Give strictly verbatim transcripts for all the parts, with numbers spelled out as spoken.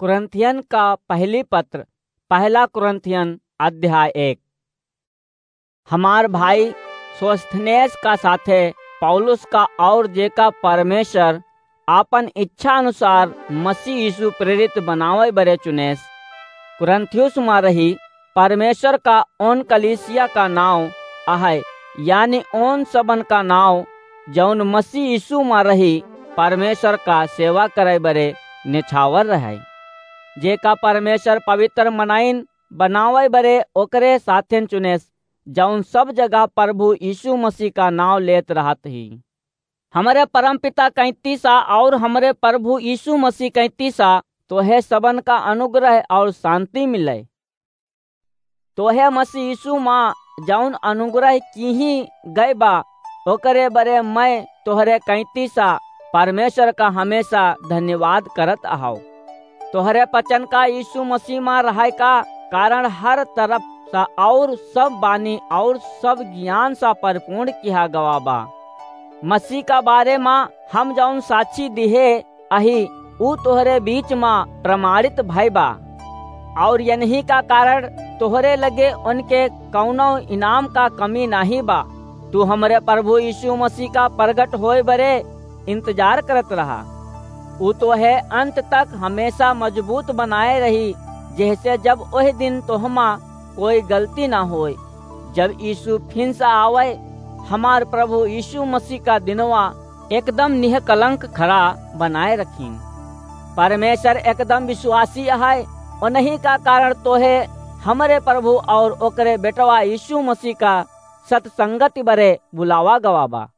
कुरिन्थियन का पहली पत्र, पहला कुरिन्थियन अध्याय एक। हमार भाई सोस्थनेस का साथे पौलुस का और जेका परमेश्वर आपन इच्छा अनुसार मसीह यीशु प्रेरित बनावे बरे चुनेस, कुरिन्थियुस मा रही परमेश्वर का ओन कलीसिया का नाव अहै, यानी ओन सबन का नाव जौन मसीह यीशु मा रही परमेश्वर का सेवा करे बरे निछावर रहै, जेका परमेश्वर पवित्र मनाइन बनावे बरे ओकरे साथेन चुनेस, जौन सब जगह प्रभु यीशु मसीह का नाव लेत रहत ही। हमरे परमपिता कैंतीसा और हमरे प्रभु यीशु मसीह कैंतीसा तोहे सबन का अनुग्रह और शांति मिले। तोहे मसीह यीशु मा जौन अनुग्रह किही गए बा, ओकरे बरे मैं तोहरे कैंतीसा परमेश्वर का हमेशा धन्यवाद करत अहाव। तोहरे वचन का यीशु मसीह मा रहै का कारण हर तरफ सा और सब बानी और सब ज्ञान सा परिपूर्ण किहा गवा बा। मसीह का बारे मा हम जौन साक्षी दिहे अही, ऊ तोहरे बीच मा प्रमाणित भई बा। और यनही का कारण तोहरे लगे उनके कौनो इनाम का कमी नाहीं बा। तू हमरे प्रभु यीशु मसीह का प्रगट होए बरे इंतजार करत रहा। ऊ तोहे अंत तक हमेशा मजबूत बनाए रही, जैसे जब ओह दिन तोहमा कोई गलती ना होए। जब यीशु फिन से आवे, हमार प्रभु यीशु मसीह का दिनवा एकदम निहकलंक खड़ा बनाए रखीन। परमेश्वर एकदम विश्वासी अहै, उन्हीं का कारण तोहे हमरे प्रभु और ओकरे बेटवा यीशु मसीह का सत्संगति बरे बुलावा गवा बा।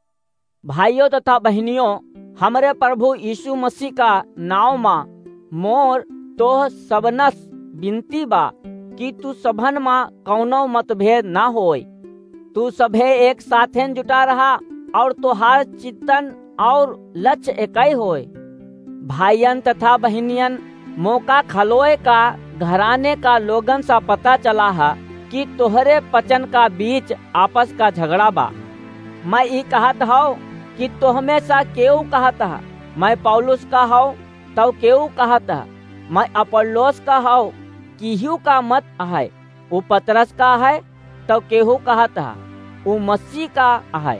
भाइयों तथा बहनियों, हमरे प्रभु यीशु मसीह का नाव मा मोर तोह सबनस विनती बा कि तू सबन मा कौनो मतभेद ना होय। तू सभे एक साथेन जुटा रहा और तोहार चिंतन और लक्ष्य एकई होय। भाइयन तथा बहनियन, मोका खलोए का घराने का लोगन सा पता चला है कि तोहरे वचन का बीच आपस का झगड़ा बा। मैं ई कहत हौ कि तोहमे सा केऊ कहत है, "मैं पौलुस का हौ," तौ केऊ कहत है, "मैं अपोल्लोस का हौ," किहू का मत अहै, ऊ पतरस का है, तौ केहू कहत है, "ऊ मसीह का अहै।"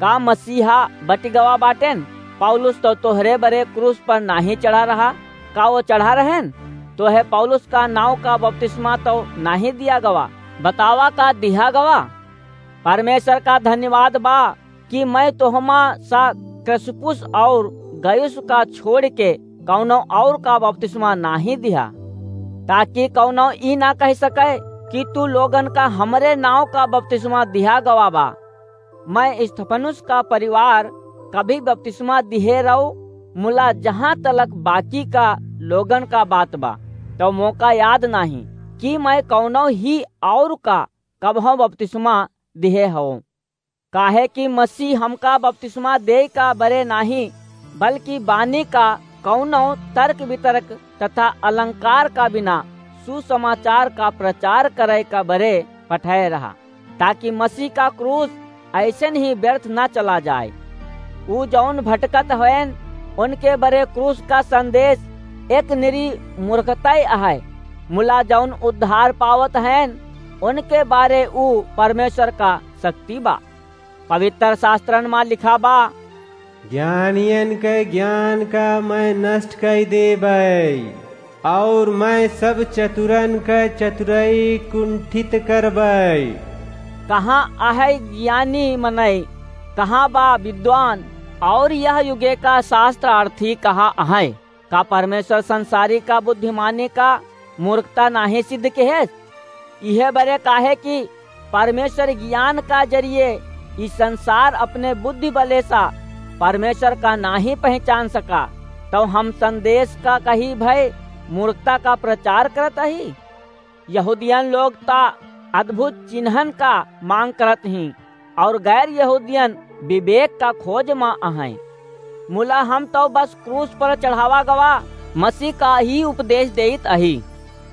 का मसीहा बटि गवा बाटेन? पौलुस तौ तोहरे बरे क्रूस पर नाहीं चढ़ा रहा, का वो चढ़ा रहेन? तोहे पौलुस का नाव का बपतिस्मा तौ नाहीं दिया गवा, बतावा का दिहा गवा? परमेश्वर का धन्यवाद बा कि मैं तोहमा सा क्रिस्पुस और गयुस का छोड़ के कौनो और का बपतिस्मा नाहीं दिहा, ताकि कौनो ई ना कह सके कि तू लोगन का हमरे नाव का बपतिस्मा दिहा गवा बा। मैं स्तिफनुस का परिवार कभी बपतिस्मा दिहे रहो, मुला जहाँ तलक बाकी का लोगन का बात बा, तौ मोका याद नाहीं कि मैं कौनो ही और का कबहूँ बपतिस्मा दिहे हौ। काहे कि मसीह हमका बपतिस्मा देइ का बरे नाहीं, बल्कि बानी का कौनो तर्क वितर्क तथा अलंकार का बिना सुसमाचार का प्रचार करे का बरे पठाए रहा, ताकि मसीह का क्रूस ऐसन ही व्यर्थ ना चला जाए। ऊ जौन भटकत हवेन, उनके बरे क्रूस का संदेश एक निरी मूर्खताई अहै, मुला जौन उद्धार पावत हवेन, उनके बारे ऊ परमेश्वर का शक्ति बा। पवित्र शास्त्रन मा लिखा बा, "ज्ञानियन के ज्ञान का मैं नष्ट कइ देबै, और मैं सब चतुरन के चतुराई कुंठित करबै।" कहाँ अहै ज्ञानी मनई? कहाँ बा विद्वान? और यह युगे का शास्त्रार्थी कहाँ अहै? का परमेश्वर संसारी का बुद्धिमानी का मूर्खता नाहीं सिद्ध किहेस? इहे बरे काहे कि परमेश्वर ज्ञान का जरिए ई संसार अपने बुद्धि बले सा परमेश्वर का नाहीं पहचान सका, तौ हम संदेश का कही भय मूर्खता का प्रचार करत अही। यहूदियन लोग ता अद्भुत चिन्हन का मांग करत हीं, और गैर यहूदियन विवेक का खोज मा अहैं। मुला हम तौ बस क्रूस पर चढ़ावा गवा मसीह का ही उपदेश देइत अही,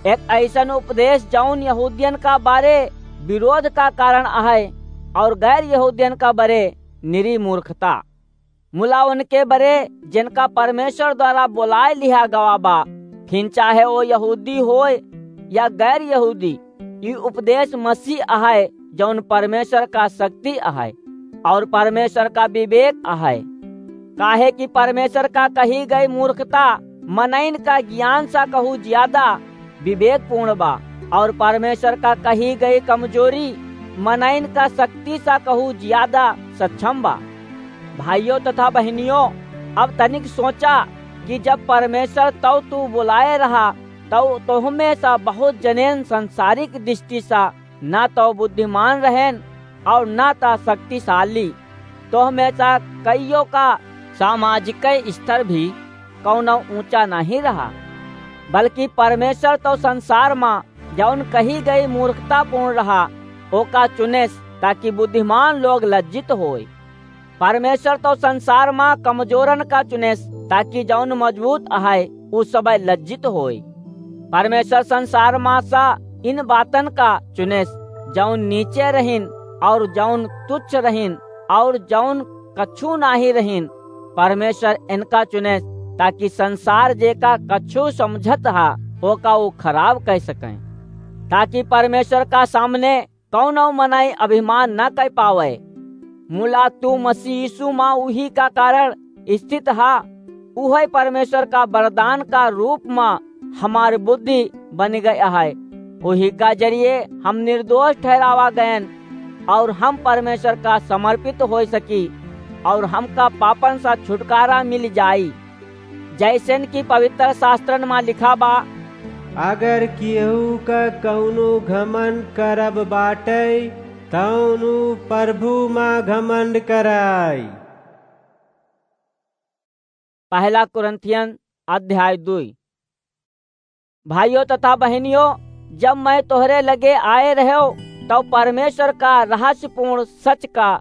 एक ऐसन उपदेश जौन यहूदियन का बारे विरोध का कारण अहै और गैर यहूदियन का बरे निरी मूर्खता। मुला उनके बरे जिनका परमेश्वर द्वारा बोलाए लिहा गवा बा, फिन चाहे ओ यहूदी होय या गैर यहूदी, ई उपदेश मसीह अहै, जौन परमेश्वर का शक्ति अहै और परमेश्वर का विवेक अहै। काहे कि परमेश्वर का कही गई मूर्खता मनइन का ज्ञान सा कहू ज्यादा विवेकपूर्ण बा, और परमेश्वर का कही गई कमजोरी मनइन का शक्ति सा कहू ज्यादा सक्षम बा। भाइयों तथा बहनियों, अब तनिक सोचा कि जब परमेश्वर तौ तू बुलाए रहा, तौ तोहमे सा बहुत जनेन संसारिक दृष्टि सा ना तौ बुद्धिमान रहेन और ना ता शक्तिशाली। तोहमे सा कईयों का सामाजिक स्तर भी कौनो ऊंचा नहीं रहा, बल्कि परमेश्वर तौ संसार मा जौन कही गई मूर्खतापूर्ण रहा, ओका चुनेस, ताकि बुद्धिमान लोग लज्जित होय। परमेश्वर तौ संसार मा कमजोरन का चुनेस, ताकि जौन मजबूत अहै, उ सबय लज्जित होय। परमेश्वर संसार मा सा इन बातन का चुनेस, जौन नीचे रहिन और जौन तुच्छ रहिन और जौन कछु नाही रहिन। परमेश्वर इनका चुनेस, ताकि संसार जेका कछु समझत हा, ओका उ खराब कह सकें, ताकि परमेश्वर का सामने कौनो मनई अभिमान न कर पावे। मुला तू मसीह यीशु मा उही का कारण स्थित हा, उहे परमेश्वर का वरदान का रूप मा हमार बुद्धि बन गए है। उही का जरिए हम निर्दोष ठहरावा गयन और हम परमेश्वर का समर्पित हो सकी और हमका पापन सा छुटकारा मिल जाई। जैसन कि पवित्र शास्त्रन मा लिखा बा, अगर केहू का कौनो घमंड करब बाटे, तौन ऊ प्रभु मा घमंड कराई। पहला कुरिन्थियन अध्याय दुई। भाइयों तथा बहनियों, जब मैं तोहरे लगे आए रह्यो, तब परमेश्वर का रहस्यपूर्ण सच का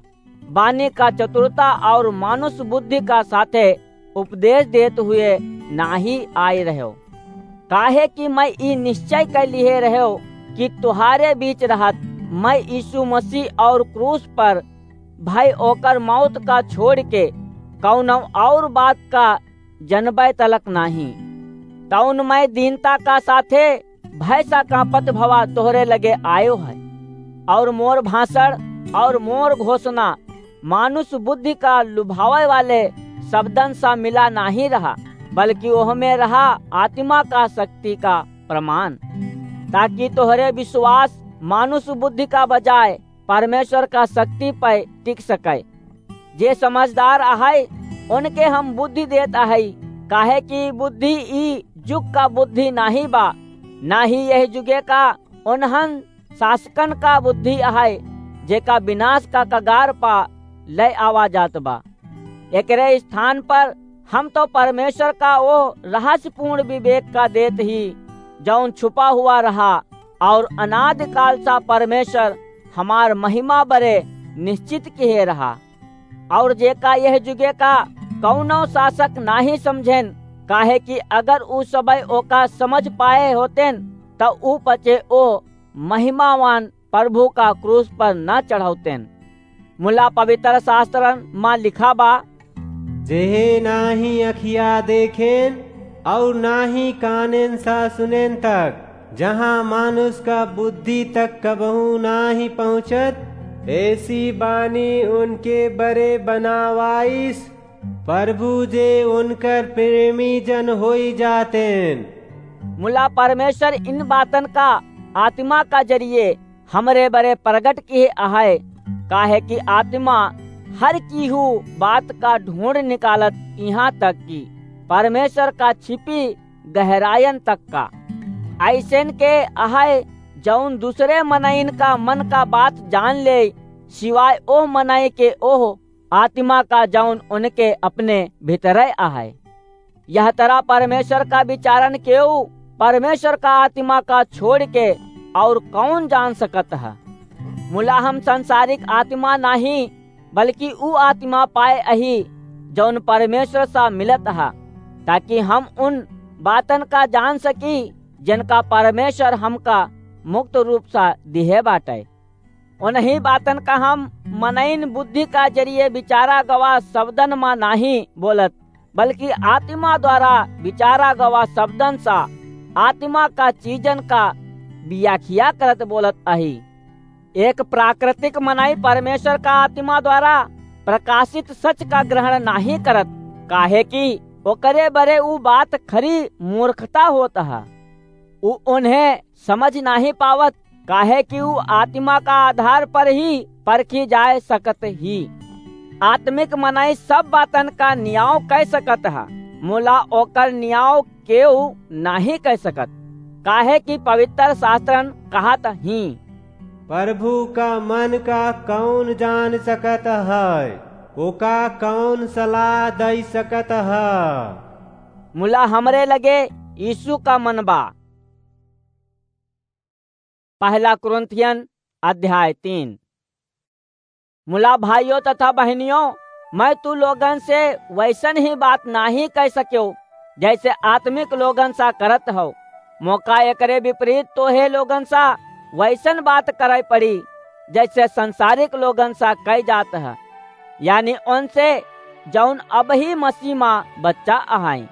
बानी का चतुरता और मानुष बुद्धि का साथे उपदेश देत हुए नाही आए रह्यो। काहे कि मैं ई निश्चय कर लिहे रह्यो कि तुहारे बीच रहत मैं यीशु मसीह और क्रूस पर भय ओकर मौत का छोड़ के कौनो और बात का जनबै तलक नाही। तौन मैं दीनता का साथे भय सा कांपत भवा तोहरे लगे आयो है, और मोर भाषण और मोर घोषणा मानुष बुद्धि का लुभावे वाले शब्दन सा मिला नाही रहा, बल्कि ओहमे रहा आत्मा का शक्ति का प्रमाण, ताकि तोहरे विश्वास मानुष बुद्धि का बजाय परमेश्वर का शक्ति पे टिक सके। जे समझदार अहै, उनके हम बुद्धि देत अहै, काहे कि बुद्धि ई जुग का बुद्धि नाही बा, ना ही यह जुगे का उन्हन शासकन का बुद्धि अहै, जेका विनाश का कगार पा ले आवा जात बा। एकरे स्थान पर हम तो परमेश्वर का वो रहस्यपूर्ण विवेक का देत ही, जौन छुपा हुआ रहा और अनादिकाल सा परमेश्वर हमार महिमा बरे निश्चित किहे रहा। और जेका यह जुगे का कौनो शासक नाही समझेन, काहे कि अगर उ सबय ओका समझ पाए होतेन, त उ पचे ओ महिमावान प्रभु का क्रूस पर न चढ़ौतेन। मुला पवित्र शास्त्रन मा लिखा बा, जेहे नाही अखिया देखेन और नाही कानेन सा सुनेन तक, जहाँ मानुष का बुद्धि तक कबहू नाही पहुँचत, ऐसी बानी उनके बरे बनावाइस प्रभु, जे उनकर प्रेमी जन होई जातेन। मुला परमेश्वर इन बातन का आत्मा का जरिए हमरे बरे प्रगट किहे अहै, काहे कि आत्मा हर कीहू बात का ढूंढ निकालत, यहाँ तक कि परमेश्वर का छिपी गहरायन तक का। ऐसन के अहै, जौन दूसरे मनइन का मन का बात जान ले, सिवाय ओह मनई के ओह आत्मा का, जौन उनके अपने भीतरे अहै। यह तरह परमेश्वर का विचारन केऊ परमेश्वर का आत्मा का छोड़ के और कौन जान सकत है? मुला हम संसारिक आत्मा नाही, बल्कि ऊ आत्मा पाए अही, जौन परमेश्वर सा मिलत है, ताकि हम उन बातन का जान सकी, जिनका परमेश्वर हमका मुक्त रूप सा दिहे बाटे। उन्हीं बातन का हम मनइन बुद्धि का जरिए विचारा गवा शब्दन मा नाही बोलत, बल्कि आत्मा द्वारा विचारा गवा शब्दन सा आत्मा का चीजन का व्याख्या करत बोलत अही। एक प्राकृतिक मनई परमेश्वर का आत्मा द्वारा प्रकाशित सच का ग्रहण नाहीं करत, काहे कि ओकरे बरे ऊ बात खरी मूर्खता होत ह। ऊ उन्हें समझ नाहीं पावत, काहे कि ऊ आत्मा का आधार पर ही परखी जाए सकत ही। आत्मिक मनई सब बातन का नियाव कह सकत ह, मुला ओकर नियाव केहू नाहीं कह सकत, काहे कि पवित्र शास्त्रन कहत ही, "प्रभु का मन का कौन जान सकत है? ओका कौन सलाह दई सकत है?" मुला हमरे लगे यीशु का मन बा। पहला कुरिन्थियन अध्याय तीन। मुला भाइयों तथा बहनियों, मैं तू लोगन से वैसन ही बात नाहीं कह सक्यो, जैसे आत्मिक लोगन सा करत हो। मोका एकरे विपरीत तोहे लोगन सा वैसन बात करे पड़ी, जैसे संसारिक लोगन सा कह जात ह, यानी उनसे जौन अबही मसीह मा बच्चा अहाई।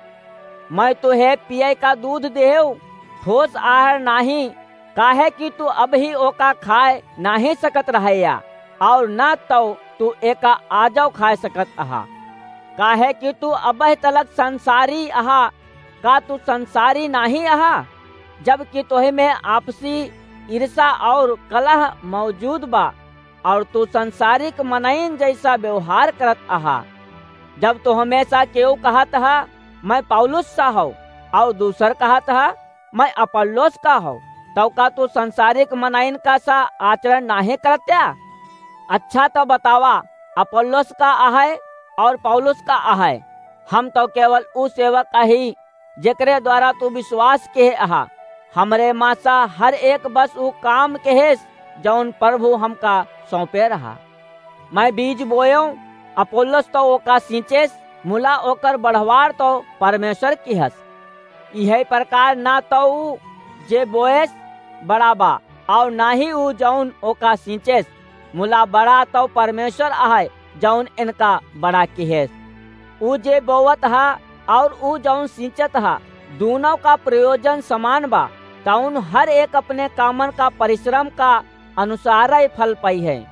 मैं तोहे पिए का दूध देहेव, ठोस आहार नाहीं, काहे कि तू अबही ओका खाए नाहीं सकत रहया, और न तौ तू एका आजौ खाए सकत अहा, काहे कि तू अबह तलक संसारी अहा। का तू संसारी नाहीं अहा, जबकि तोहे में आपसी ईर्षा और कलह मौजूद बा, और तू संसारिक मनइन जैसा व्यवहार करत अहा? जब तो हमेशा केहू कहत ह, "मैं पौलुस सा हौ," और दूसर कहत ह, "मैं अपोल्लोस का हौ," तौ का तू संसारिक मनइन का सा आचरण नाहीं करत्या? अच्छा तो बतावा, अपोल्लोस का अहै और पौलुस का अहै? हम तो केवल ऊ सेवक अही, जेकरे द्वारा तू विश्वास केहे अहा। हमरे मा सा हर एक बस ऊ काम केहेस, जौन प्रभु हमका सौंपे रहा। मैं बीज बोयेव, अपोल्लोस तो ओका सींचेस, मुला ओकर बढ़वार तो परमेश्वर किहस। इहे प्रकार ना तो ऊ जे बोएस बड़ा बा, और ना ही ऊ जौन ओका सींचेस, मुला बड़ा तो परमेश्वर अहै, जौन इनका बड़ा किहेस। ऊ जे बोवत हा और ऊ जौन सींचत हा, दूनों का प्रयोजन समान बा, तौन हर एक अपने कामन का परिश्रम का अनुसार ही फल पाई है।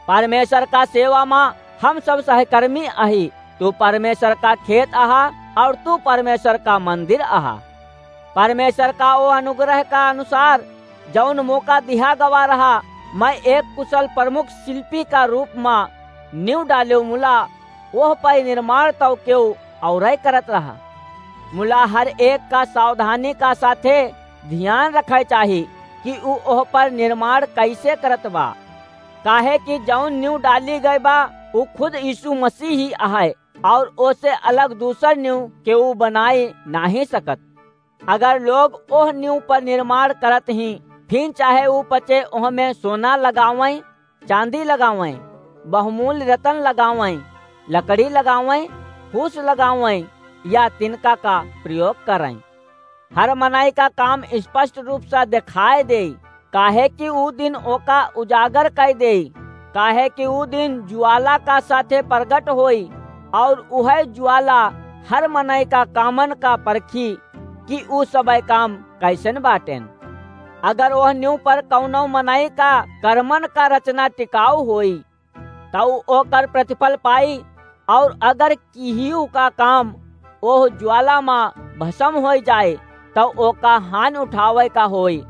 परमेश्वर का सेवा मा हम सब सहकर्मी अही। तू परमेश्वर का खेत अहा और तू परमेश्वर का मंदिर अहा। परमेश्वर का ओ अनुग्रह का अनुसार जौन मोका दिहा गवा रहा, मैं एक कुशल प्रमुख शिल्पी का रूप मा नींव डालेव, मुला ओह पर निर्माण तौ केहू औरै करत रहा। मुला हर एक का सावधानी का साथे ध्यान रखे चाही कि ऊ ओह पर निर्माण कैसे करत बा, काहे कि जौन नींव डाली गए बा, ऊ खुद यीशु मसीह ही अहै, और ओसे अलग दूसर नींव केहू बनाई नाहीं सकत। अगर लोग ओह नींव पर निर्माण करत ही, फिर चाहे ऊ पचे ओह में सोना लगावैं, चांदी लगावैं, बहुमूल्य रतन लगावैं, लकड़ी लगावैं, फूस लगावैं या तिनका का प्रयोग करैं, हर मनई का काम स्पष्ट रूप से देखाए देई, काहे कि ऊ दिन ओका उजागर कर देई, काहे कि ऊ दिन ज्वाला का साथे प्रगट होई, और उहै ज्वाला हर मनई का कामन का परखी कि ऊ सबे काम कैसन बाटेन। अगर ओह नींव पर कौनो मनई का कर्मन का रचना टिकाऊ होई, तौ ओकर प्रतिफल पाई, और अगर किहियो का काम ओह ज्वाला मा भस्म होई जाए, तौ ओका हानि उठावे का होई।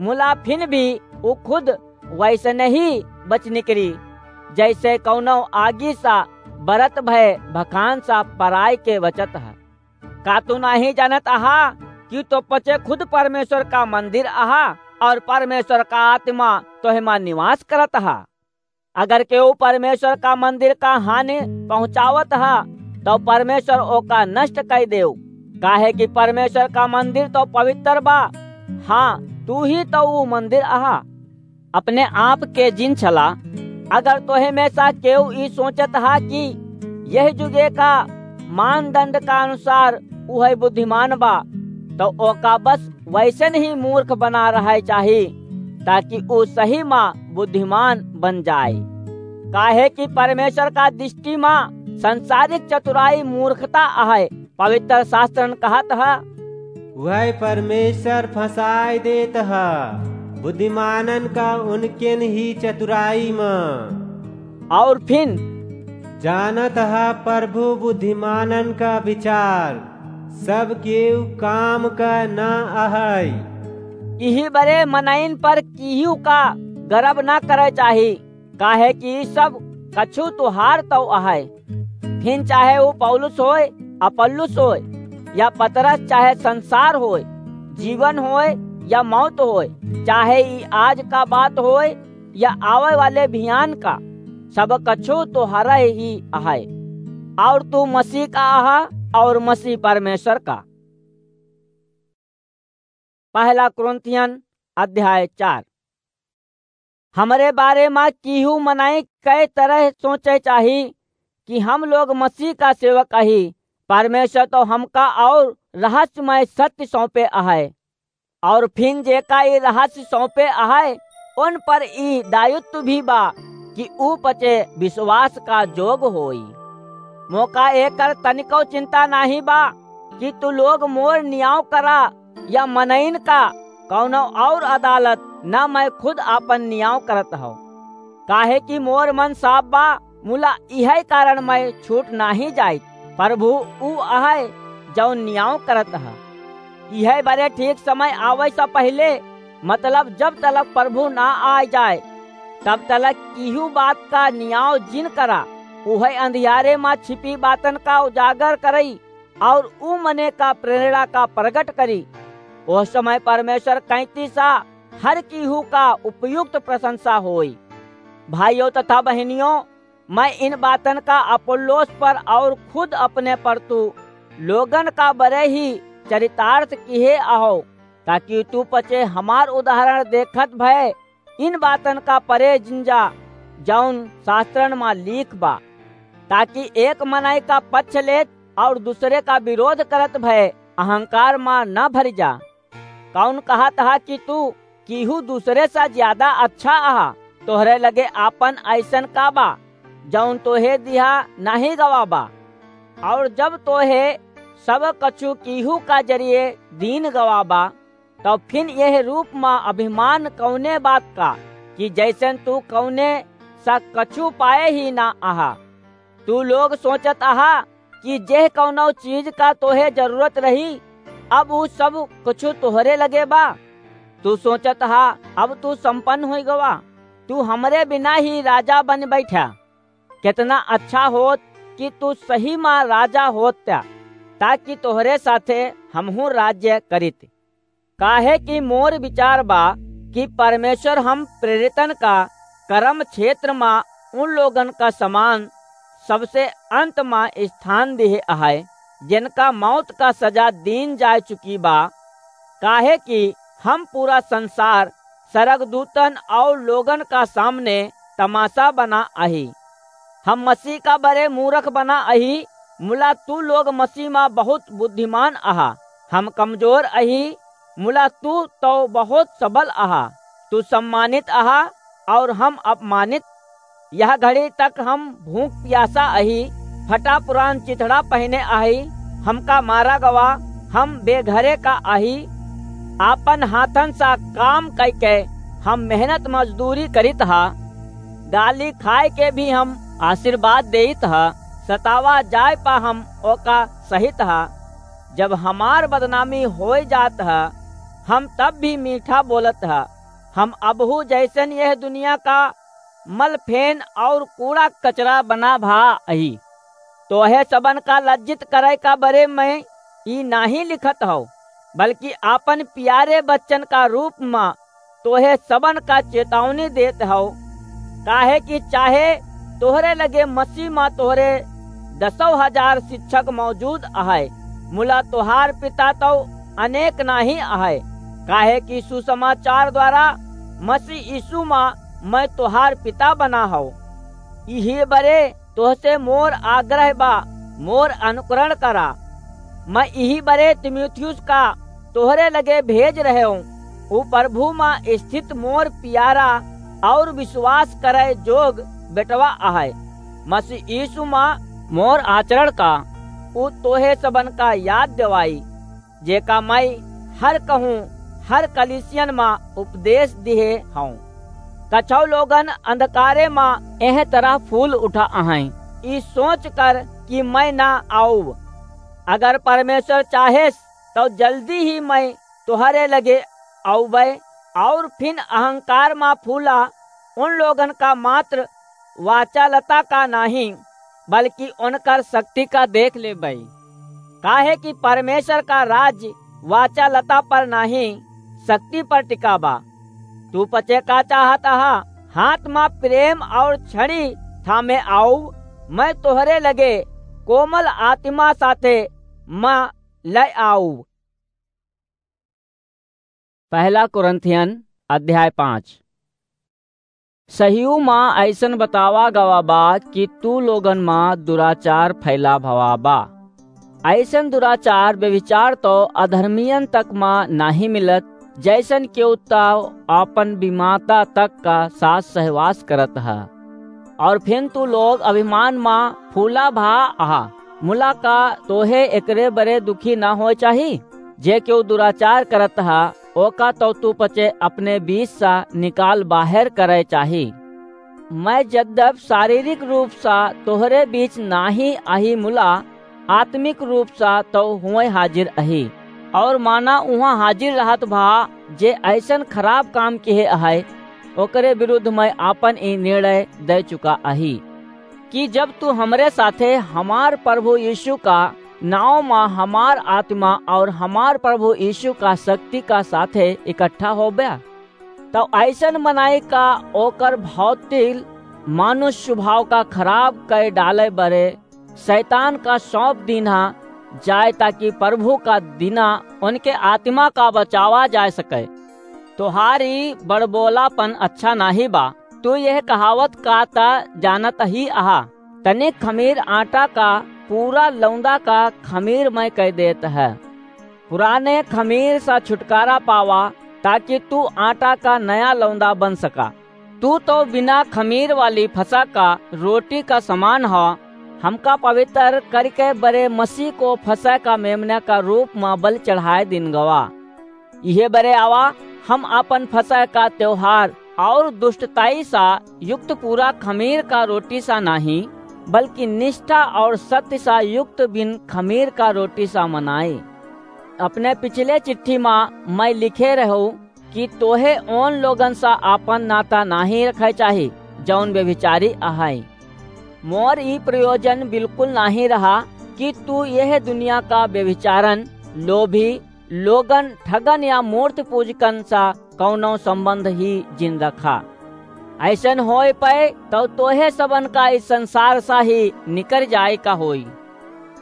मुला फिन भी ऊ खुद वैसने ही बच निकरी, जैसे कौनो आगी सा बरत भय भखान सा पराय के बचत है। का तू नाहीं जानत अहा कि तो पचे खुद परमेश्वर का मंदिर अहा और परमेश्वर का आत्मा तोहे मा निवास करत अहा? अगर केहू परमेश्वर का मंदिर का हानि पहुँचावत हा, तो परमेश्वर ओका नष्ट कर देव, काहे कि परमेश्वर का मंदिर तो पवित्र बा। हाँ, तू ही तो ऊ मंदिर अहा। अपने आप के जिन छला। अगर तोहे में सा केहू ई सोचत हा कि यह जुगे का मानदंड का अनुसार उहै बुद्धिमान बा, तो ओका बस वैसन ही मूर्ख बना रहे चाही, ताकि ऊ सही मा बुद्धिमान बन जाए। काहे कि परमेश्वर का दृष्टि मा संसारिक चतुराई मूर्खता अहै। पवित्र शास्त्रन कहत है, वह परमेश्वर फंसाय देत ह बुद्धिमानन का उनकेन ही चतुराई म। और फिन, जानत ह प्रभु बुद्धिमानन का विचार, सब केहू काम का न अहय। इही बरे मनइन पर किहू का गर्व न करे चाही, काहे कि सब कछु तुहार तौ अहय। फिन चाहे ऊ पौलुस होय, अपुल्लोस होय, या पतरस, चाहे संसार होय, जीवन होय या मौत होय, चाहे ई आज का बात होय या आवे वाले भियान का, सब कछु तोहरे ही अहय, और तू मसीह का अहा और मसीह परमेश्वर का। पहला कुरिन्थियन अध्याय चार। हमरे बारे मा किहू मनई कै तरह सोचे चाही कि हम लोग मसीह का सेवक अही, परमेश्वर तो हमका और रहस्यमय सत्य सौंपे अहय। और फिन जेका ई रहस्य सौंपे अहय, उन पर ई दायित्व भी बा कि ऊ पचे विश्वास का जोग होई। मोका एकर तनिको चिंता नाहीं बा कि तू लोग मोर नियाव करा या मनइन का कौनो और अदालत, न मैं खुद आपन नियाव करत हौ। काहे कि मोर मन साफ बा, मुला इहै कारण मैं छूट नाहीं जाइत। प्रभु ऊ अहै, जौन नियाव करत ह। इहै बरे ठीक समय आवै से पहिले, मतलब जब तलक प्रभु ना आय जाय, तब तलक किहू बात का नियाव जिन करा। उहै अंधियारे मा छिपी बातन का उजागर करई, और ऊ मने का प्रेरणा का प्रगट करी। ओह समय परमेश्वर कैंती सा हर किहू का उपयुक्त प्रशंसा होई। भाइयों तथा बहनियों, मैं इन बातन का अपोल्लोस पर और खुद अपने पर तू लोगन का बरे ही चरितार्थ किहे अहो, ताकि तू पचे हमार उदाहरण देखत भय इन बातन का परे जिंजा, जौन शास्त्रन मा लीख बा, ताकि एक मनई का पक्ष लेत और दूसरे का विरोध करत भय अहंकार मा न भरि जा। कौन कहत हा कि तू किहू दूसरे से ज्यादा अच्छा अहा? तोहरे लगे आपन ऐसन का बा, जौन तोहे दिहा नाहीं गवा बा? और जब तोहे सब कछु किहू का जरिए दीन गवा बा, तब फिन यह रूप मा अभिमान कौने बात का, कि जैसन तू कौने सा कछु पाए ही ना अहा? तू लोग सोचत अहा कि जेह कौनो चीज का तोहे जरूरत रही, अब ऊ सब कुछ तोहरे लगे बा। तू सोचत हा, अब तू संपन्न होई गवा, तू हमरे बिना ही राजा बन बैठा। कितना अच्छा होत कि तू सही मा राजा होत त्या, ताकि तोहरे साथे हमहू राज्य करित। काहे कि मोर विचार बा कि परमेश्वर हम प्रेरितन का कर्म क्षेत्र मा उन लोगन का समान सबसे अंत मा स्थान दिहे अहै, जिनका मौत का सजा दीन जाय चुकी बा। काहे कि हम पूरा संसार सरगदूतन और लोगन का सामने तमाशा बना अही। हम मसीह का बरे मूरख बना अही, मुला तू लोग मसीह मा बहुत बुद्धिमान अहा। हम कमजोर अही, मुला तू तो बहुत सबल अहा। तू सम्मानित अहा और हम अपमानित। यह घड़ी तक हम भूख प्यासा अही, फटा पुरान चिथड़ा पहने अही, हमका मारा गवा, हम बेघरे का अही। आपन हाथन सा काम कइके हम मेहनत मजदूरी करित हा। गाली खाए के भी हम आशीर्वाद देइत हा, सतावा जाए पा हम ओका सहित हा। जब हमार बदनामी होय जात हा, हम तब भी मीठा बोलत हा। हम अबहू जैसन यह दुनिया का मलफेन और कूड़ा कचरा बना भा अही। तोहे सबन का लज्जित करे का बरे मैं ई नाहीं लिखत हौ, बल्कि आपन प्यारे बच्चन का रूप मा तोहे सबन का चेतावनी देत हौ। काहे कि चाहे तोहरे लगे मसीह मा तोहरे दसौ हजार शिक्षक मौजूद अहै, मुला तोहार पिता तो अनेक नाहीं अहै, काहे कि सुसमाचार द्वारा मसीह यीशु मा मैं तोहार पिता बना हौ। इही बरे तोहसे मोर आग्रह बा, मोर अनुकरण करा। मैं इही बरे तीमुथियुस का तोहरे लगे भेज रहे हूँ। ऊ प्रभु मा स्थित मोर प्यारा और विश्वास करे जोग बेटवा अहै। मसीह यीशु मा मोर आचरण का ऊ तोहे सबन का याद देवाई। जेका मइँ हर कहूँ हर कलीसियन मा उपदेश दिहे हौं। कछौ लोगन अंधकारे मा एह तरह फूल उठा अहैं, ई सोच कर कि मइँ ना आउब। अगर परमेश्वर चाहेस, तौ जल्दी ही मइँ तोहरे लगे आउबै, और फिन अहंकार मा फूला उन लोगन का मात्र वाचालता का नाहीं, बल्कि उनकर शक्ति का देख लेबै। काहे कि परमेश्वर का राज्य वाचालता पर नाहीं, शक्ति पर टिका बा। तू पचे का चाहत अहा? हाथ मा प्रेम और छड़ी थामे आउब, मइँ तोहरे लगे कोमल आत्मा साथे मा लै आउब। पहला कुरिन्थियन अध्याय पाँच। सहियो मा अइसन बतावा गवा बा कि तू लोगन मा दुराचार फैला भवा बा। अइसन दुराचार, व्यभिचार तौ अधर्मियन तक मा नाहीं मिलत, जइसन केहू तौ आपन बिमाता तक का साथ सहवास करत ह। और फिन तू लोग अभिमान मा फूला भा अहा। मुला का तोहे एकरे बरे दुखी ना होए चाही? जे केहू दुराचार करत ह, ओका तौ तू पचे अपने बीच सा निकाल बाहेर करे चाही। मइँ जद्यप शारीरिक रूप सा तोहरे बीच नाहीं अही, मुला आत्मिक रूप सा तौ हुवैं हाजिर अही, और माना उहाँ हाजिर रहत भा जे अइसन खराब काम किहे अहै, ओकरे विरुद्ध मइँ आपन ई निर्णय दै चुका अही कि जब तू हमरे साथे हमार प्रभु यीशु का नाउँ मा हमार आत्मा और हमार प्रभु यीशु का शक्ति का साथे इकट्ठा होब्या, तौ अइसन मनई का ओकर भौतिक मानुष स्वभाव का खराब कै डालै बरे शैतान का सौंप दीन्हा जाए, ताकि प्रभु का दिना उनके आत्मा का बचावा जाए सके। तोहार ई बड़बोलापन अच्छा नाहीं बा। तू यह कहावत का त जानत ही अहा, तनिक खमीर आटा का पूरा लौंदा का खमीर मय कै देत है। पुराने खमीर सा छुटकारा पावा, ताकि तू आटा का नया लौंदा बन सका। तू तौ बिना खमीर वाली फसह का रोटी का समान ह। हमका पवित्र करिके बरे मसीह को फसह का मेमना का रूप मा बलि चढ़ाए दीन गवा। इहे बरे आवा, हम आपन फसह का त्योहार और दुष्टताई सा युक्त पूरा खमीर का रोटी सा नाहीं, बल्कि निष्ठा और सत्य सा युक्त बिन खमीर का रोटी सा मनाई। अपने पिछले चिट्ठी मा मय लिखे रहू कि तोहे ओन लोगन सा आपन नाता नाहीं रखै चाही, जौन व्यभिचारी अहैं। मोर ई प्रयोजन बिल्कुल नाहीं रहा कि तू यह दुनिया का व्यभिचारन, लोभी, लोगन, ठगन या मूर्ति पूजकन सा कौनो संबंध ही जिन रखा। अइसन होए पै तौ तोहे सबन का इस संसार सा ही निकर जाए का होई।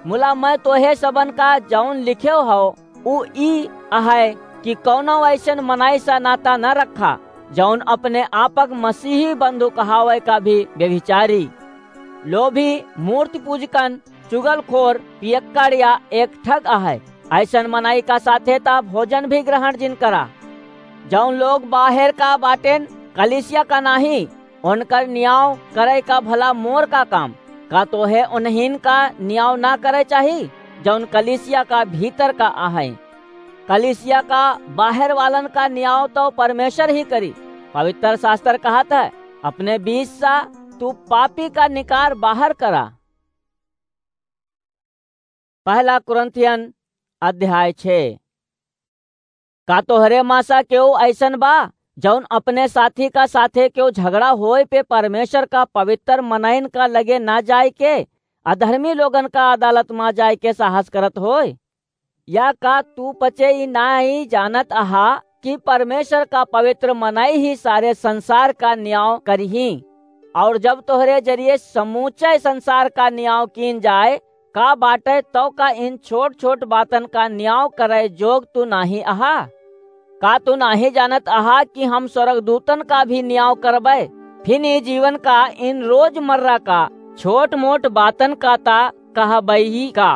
मुला मय तोहे सबन का जौन लिखेव हौ, उ ई अहै कि कौनो अइसन मनई सा नाता न रखा, जौन अपने आपक मसीही बंधु कहावै का भी व्यभिचारी, लोभी, मूर्ति पूजकन, चुगलखोर, पियक्कड़ या एक ठग अहै। अइसन मनई का साथे त भोजन भी ग्रहण जिन करा। जौन लोग बाहेर का बाटेन, कलीसिया का नाहीं, उनकर नियाव करै का भला मोर का काम? का तोहे उन्हीं का नियाव ना करै चाही, जौन कलीसिया का भीतर का अहैं? कलीसिया का बाहेर वालन का नियाव तौ परमेश्वर ही करी। पवित्र शास्त्र कहत है, अपने बीच सा तू पापी का निकार बाहर करा। पहला कुरिन्थियन अध्याय छे। का तोहरे मा सा केहू अइसन बा, जौन अपने साथी का साथे केहू झगड़ा होए पे परमेश्वर का पवित्र मनइन का लगे ना जाए के, अधर्मी लोगन का अदालत मा जाए के साहस करत होए? या का तू पचे ई नाहीं जानत अहा कि परमेश्वर का पवित्र मनई ही सारे संसार का नियाव करिहीं? और जब तोहरे जरिए समूचे संसार का नियाव कीन जाए, का बाटे, तौ का इन छोट-छोट बातन का नियाव करै जोग तू नाहीं अहा? का तू नाहीं जानत अहा कि हम स्वर्गदूतन का भी नियाव करबै? फिन ई जीवन का इन रोजमर्रा का छोट-मोट बातन का ता कहबै ही का?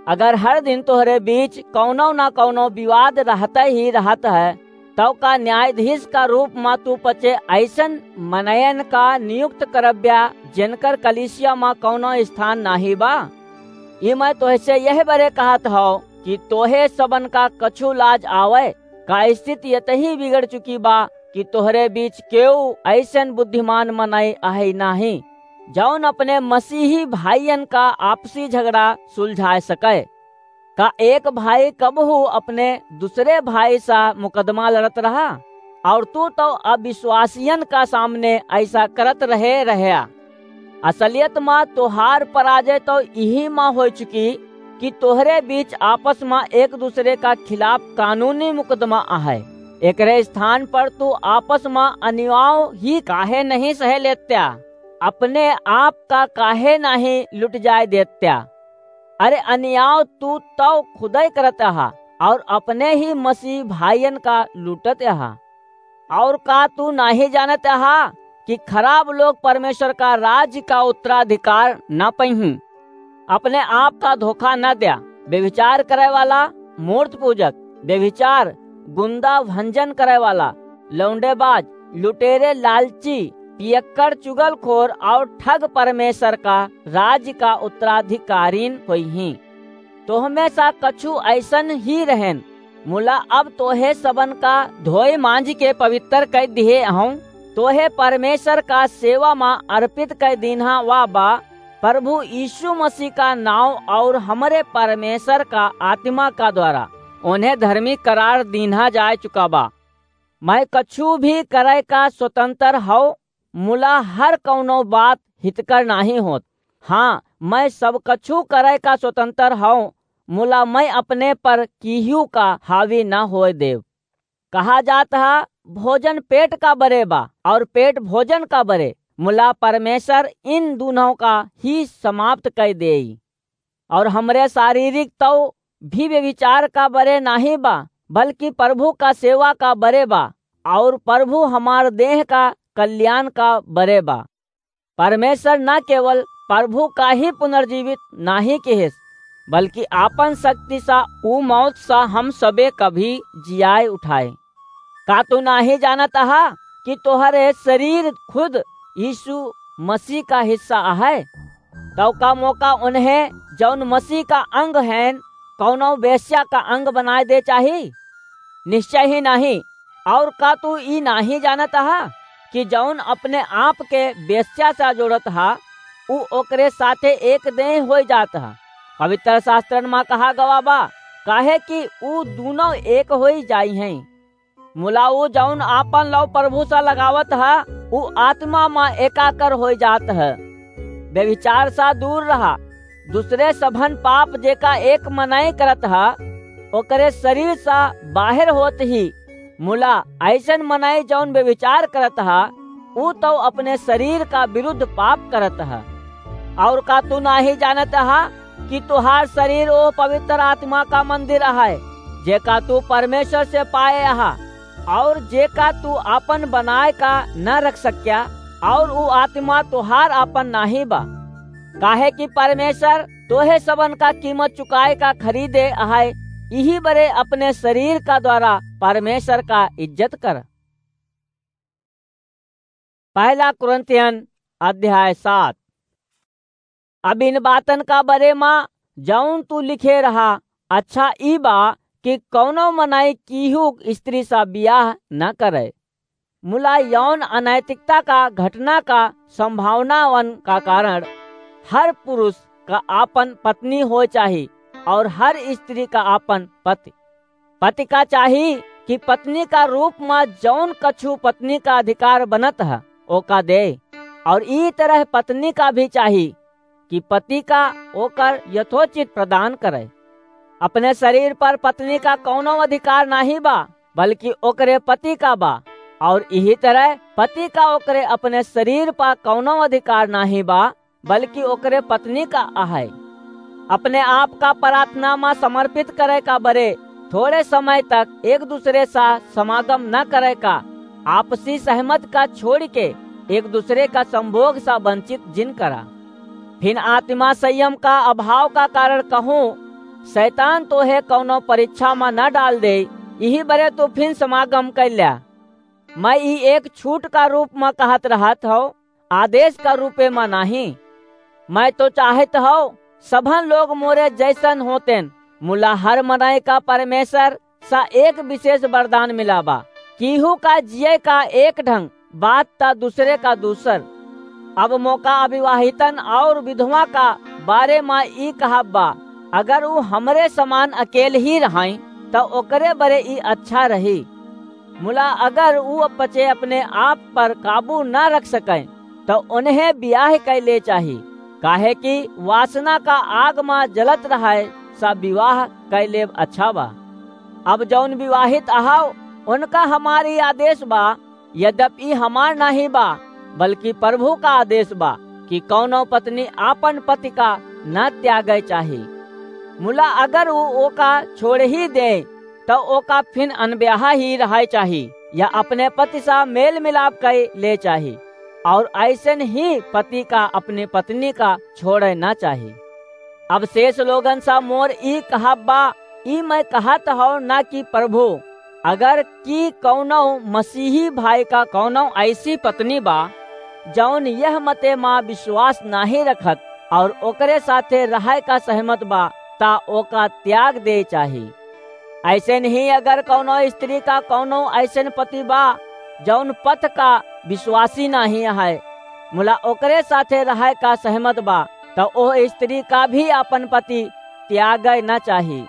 अगर हर दिन तोहरे बीच कौनो ना कौनो विवाद रहते ही रहत है, तौ का न्यायाधीश का रूप मा तू पचे अइसन मनयन का नियुक्त करब्या, जेनकर कलीसिया मा कौनो स्थान नाहीं बा? ई मैं तोहसे यह बरे कहत हौ कि तोहे सबन का कछु लाज आवै? का स्थिति यतही बिगड़ चुकी बा कि तोहरे बीच केऊ अइसन बुद्धिमान मनई अहै नाहीं, जौन अपने मसीही भाइयन का आपसी झगड़ा सुलझाए सकै? का एक भाई कबहू अपने दुसरे भाई सा मुकदमा लड़त रहा? और तू तौ अविश्वासियन का सामने अइसा करत रहे रहया। असलियत मा तोहार पराजय तौ इही मा होइ चुकी कि तोहरे बीच आपस मा एक दुसरे का खिलाफ कानूनी मुकदमा अहै। एकरे स्थान पर तू आपस मा अनियाव ही काहे नहीं सहे लेत्या? अपने आप का काहे नहीं लुट जाए देत्या? अरे अनियाव तू तौ खुदै करत अहा और अपने ही मसीह भाइयन का लूटत अहा। और का तू नाहीं जानत अहा कि खराब लोग परमेश्वर का राज्य का उत्तराधिकार न पइहीं? अपने आप का धोखा न द्या। व्यभिचार करे वाला, मूर्त पूजक, व्यभिचार, गुंदा, भंजन करे वाला, लौंडेबाज, लुटेरे, लालची, पियक्कड़, चुगलखोर और ठग परमेश्वर का राज्य का उत्तराधिकारीन होइहीं। तोहमे सा कछु अइसन ही रहेन, मुला अब तोहे सबन का धोए मांज के पवित्र कै दिहे हूँ। तोहे परमेश्वर का सेवा मा अर्पित कै दीन्हा वा बा, प्रभु यीशु मसीह का नाव और हमरे परमेश्वर का आत्मा का द्वारा उन्हें धर्मी करार दीन्हा जाए चुका बा। मैं कछु भी करे का स्वतंत्र हौ, मुला हर कौनो बात हितकर नाहीं होत। हाँ, मैं सब कछु करे का स्वतंत्र हौ, मुला मैं अपने पर किहू का हावी न होए देव। कहा जात ह, भोजन पेट का बरे बा और पेट भोजन का बरे, मुला परमेश्वर इन दूनों का ही समाप्त कै देई। और हमरे शारीरिक तौ भी व्यभिचार का बरे नाहीं बा, बल्कि प्रभु का सेवा का बरे बा, और प्रभु हमार देह का कल्याण का बरे बा। परमेश्वर न केवल प्रभु का ही पुनर्जीवित नाहीं किहिस, बल्कि आपन शक्ति सा ऊ मौत सा हम सबे कभी जियाए उठाए। का तू नाहीं जानत अहा कि तोहरे शरीर खुद यीशु मसीह का हिस्सा अहै? तौ का मोका उन्हें, जौन मसीह का अंग हैं, कौनो वेश्या का अंग बनाए दे चाही? निश्चय ही नाहीं। और का तू ई नाहीं जानत अहा कि जौन अपने आप के वेश्या सा जोड़त हा, ऊ ओकरे साथे एक देह होई जात हा? पवित्र शास्त्रन मा कहा गवा बा, काहे कि ऊ दूनों एक होई जाई हैं। मुला ऊ जौन आपन लौ प्रभु सा लगावत ह, ऊ आत्मा मा एकाकर होई जात ह। व्यभिचार सा दूर रहा। दूसरे सभन पाप जेका एक मनई करत ह, ओकरे शरीर सा बाहर होत ही। मुला अइसन मनई जौन व्यभिचार करत ह, ऊ तौ अपने शरीर का विरुद्ध पाप करत ह। और का तू नाहीं जानत ह कि तुहार शरीर ओ पवित्र आत्मा का मंदिर अहै, जेका तू परमेश्वर से पाए अहा, और जेका तू आपन बनाए का न रख सक्या, और ऊ आत्मा तुहार आपन नाहीं बा? काहे कि परमेश्वर तोहे सबन का कीमत चुकाए का खरीदे अहै, इही बरे अपने शरीर का द्वारा परमेश्वर का इज्जत कर। पहला कुरिन्थियन अध्याय सात। अब इन बातन का बरे मा जौन तू लिखे रहा, अच्छा ई बा कि कौनो मनई कीहू स्त्री सा बियाह न करे। मुला यौन अनैतिकता का घटना का संभावनावन का कारण हर पुरुष का आपन पत्नी होए चाही और हर स्त्री का आपन पति। पति का चाही कि पत्नी का रूप मा जौन कछु पत्नी का अधिकार बनत ह, ओका दे, और ई तरह पत्नी का भी चाही कि पति का ओकर यथोचित प्रदान करे। अपने शरीर पर पत्नी का कौनो अधिकार नाहीं बा, बल्कि ओकरे पति का बा, और इही तरह पति का ओकरे अपने शरीर पर कौनो अधिकार नाहीं बा, बल्कि ओकरे पत्नी का अहै। अपने आप का प्रार्थना मा समर्पित करे का बरे थोड़े समय तक एक दूसरे सा समागम न करे का, आपसी सहमत का छोड़ के एक दूसरे का संभोग सा वंचित जिन करा। फिन आत्मा संयम का अभाव का कारण कहूँ, शैतान तोहे कौनो परीक्षा मा न डाल दे, इही बरे तू फिन समागम कर ल्या। मैं ई एक छूट का रूप मा कहत रहत हौ, आदेश का रूपे मा नाहीं। मैं तो चाहत हौ, सभन लोग मोरे जैसन होतेन, मुला हर मनई का परमेश्वर सा एक विशेष वरदान मिला बा। केहू का जिए का एक ढंग, बात ता दूसरे का दूसर। अब मोका अविवाहितन और विधवा का बारे मा ई कहब बा, अगर ऊ हमरे समान अकेल ही रहाई, त ओकरे बरे ई अच्छा रही। मुला अगर ऊ पचे अपने आप पर काबू ना रख सके, त उन्हें ब्याह कै ले चाही, काहे कि वासना का आग मा जलत रहे, सा विवाह कै लेब अच्छा बा। अब जौन विवाहित अहाव, उनका हमार ई आदेश बा, यद्यपि ई हमार नाही बा, बल्कि प्रभु का आदेश बा, कि कौनो पत्नी आपन पति का न त्यागे चाही। मुला अगर ऊ ओका छोड़ ही दे, त ओका फिन अनब्याहा ही रहे चाही, या अपने पति सा मेल मिलाप कै ले चाही, और ऐसन ही पति का अपनी पत्नी का छोड़े ना चाही। अब शेष लोगन सा मोर ई कहब बा, ई मैं कहत हौ ना कि प्रभु, अगर कि कौनो मसीही भाई का कौनो ऐसी पत्नी बा, जौन यह मते मा विश्वास नाही रखत और ओकरे साथे रहे का सहमत बा, ता ओका त्याग दे चाही। ऐसे नहीं अगर कौनो स्त्री का कौनो ऐसन पति बा, जौन पथ का विश्वासी नाही है, मुला ओकरे साथे रहे का सहमत बा, त ओह स्त्री का भी आपन पति त्यागे न चाही।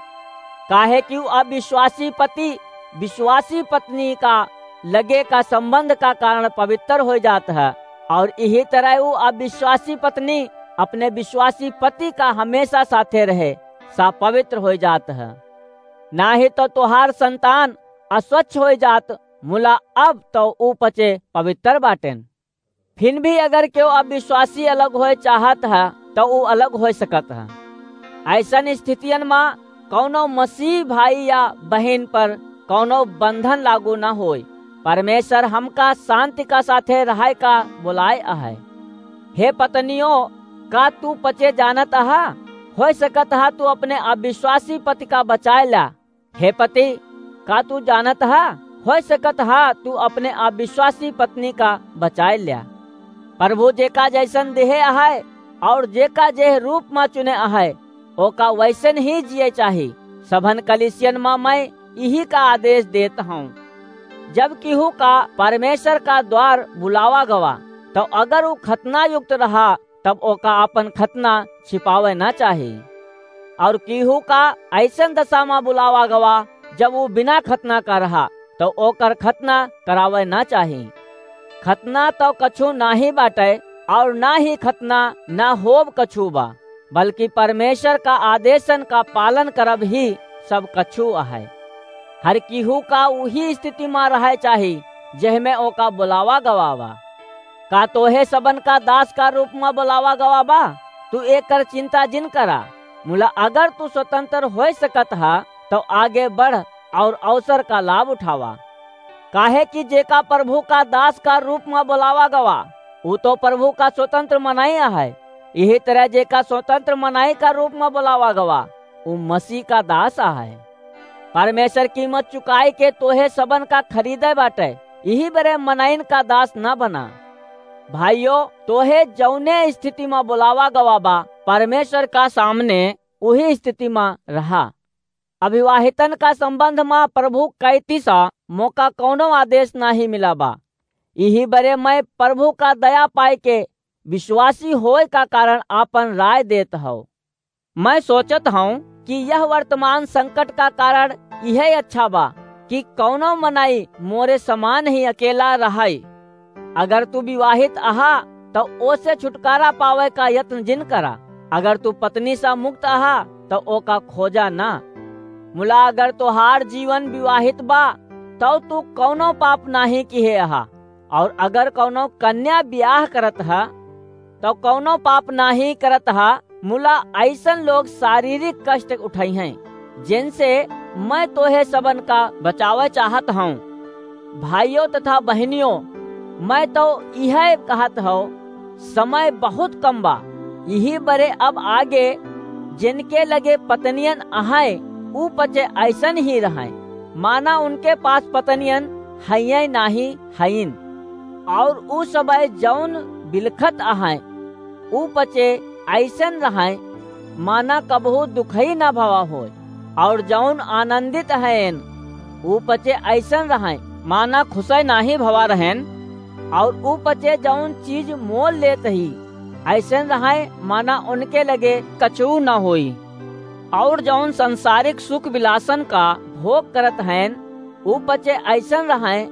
काहे कि ऊ अविश्वासी पति विश्वासी पत्नी का लगे का संबंध का कारण पवित्र हो जात है, और यही तरह ऊ अविश्वासी पत्नी अपने विश्वासी पति का हमेशा साथे रहे, सा पवित्र हो जात है। ना ही तो तोहार संतान अस्वच्छ हो जात, मुला अब तो ऊ पचे पवित्र बाटेन। फिर भी अगर केहू अविश्वासी अलग होए चाहत है, तो ऊ अलग हो सकत है। ऐसन स्थितियन मा कौनो मसीह भाई या बहिन पर कौनो बंधन लागू न होए। परमेश्वर हमका शांति का साथे रहे का बुलाए आहे। हे पत्नियों, का तू पचे जानत अहा? हो सकत हा तू अपने अविश्वासी पति का बचाए ला। हे पति, का तू जानत हा? हो सकत हा तू अपने अविश्वासी पत्नी का बचाए ल्या। प्रभु जेका जैसन देहे आहे और जेका जेह रूप मा चुने आहे, ओका वैसन ही जिए चाही। सभन कलिसियन मा मैं इही का आदेश देत हूँ। जब केहू का परमेश्वर का द्वार बुलावा गवा, तो अगर ऊ खतना युक्त रहा, तब ओका आपन खतना छिपावे ना चाही। और केहू का ऐसन दशा मा बुलावा गवा, जब ऊ बिना खतना का रहा, तो ओकर खतना करावे ना चाही। खतना तो कछु नाही बाटे, और ना ही खतना ना होब कछु बा, बल्कि परमेश्वर का आदेशन का पालन करब ही सब कछु आहे। हर केहू का उही स्थिति मा रहे चाही, जेहमे ओका बुलावा गवा बा। का तोहे सबन का दास का रूप मा बुलावा गवा बा? तू एकर चिंता जिन करा। मुला अगर तू स्वतंत्र होए सकत हा, तो आगे बढ़ और अवसर का लाभ उठावा। काहे कि जेका प्रभु का दास का रूप मा बुलावा गवा, ऊ तो प्रभु का स्वतंत्र मनाई आहे। यही तरह जेका स्वतंत्र मनाई का रूप मा बुलावा गवा, ऊ मसीह का दास आहे। परमेश्वर कीमत चुकाई के तोहे सबन का खरीदे बाटे, यही बरे मनाइन का दास ना बना। भाइयों, तोहे जौने स्थिति मा बुलावा गवा बा, परमेश्वर का सामने उही स्थिति मा रहा। अविवाहितन का संबंध मा प्रभु कैती सा मोका कौनो आदेश नाही मिला बा। यही बरे मैं प्रभु का दया पाए के विश्वासी होए का कारण आपन राय देत हौ। मैं सोचत हूँ कि यह वर्तमान संकट का कारण यह अच्छा बा कि कौनो मनई मोरे समान ही अकेला रहई। अगर तू विवाहित अहा, तो ओसे छुटकारा पावे का यत्न जिन करा। अगर तू पत्नी सा मुक्त अहा, तो ओका खोजा ना। मुला अगर तोहार जीवन विवाहित बा, तो तू कौनो पाप नाही किहे अहा। और अगर कौनो कन्या ब्याह करत हा, तो कौनो पाप नाही करत हा। मुला ऐसन लोग शारीरिक कष्ट उठाई हैं, जिनसे मैं तोहे सबन का बचावे चाहत हूँ। भाइयों तथा बहनियों, मैं तो यह कहत हूँ, समय बहुत कम बा। यही बरे अब आगे जिनके लगे पत्नियन अहै, ऊ पचे ऐसन ही रहै, माना उनके पास पत्नियन हइये नाही हइन। और ऊ सबय जौन बिलखत अहै, ऊ पचे ऐसन रहै, माना कबहू दुखई ना भवा होय। और जौन आनंदित हएन, ऊ पचे ऐसन रहएँ, माना खुसै नाहीं भवा रहेन, और ऊ पचे जौन चीज मोल लेत ही, ऐसन रहएँ, माना उनके लगे कछू न होई। और जौन संसारिक सुख विलासन का भोग करत हएन, ऊ पचे ऐसन रहएँ,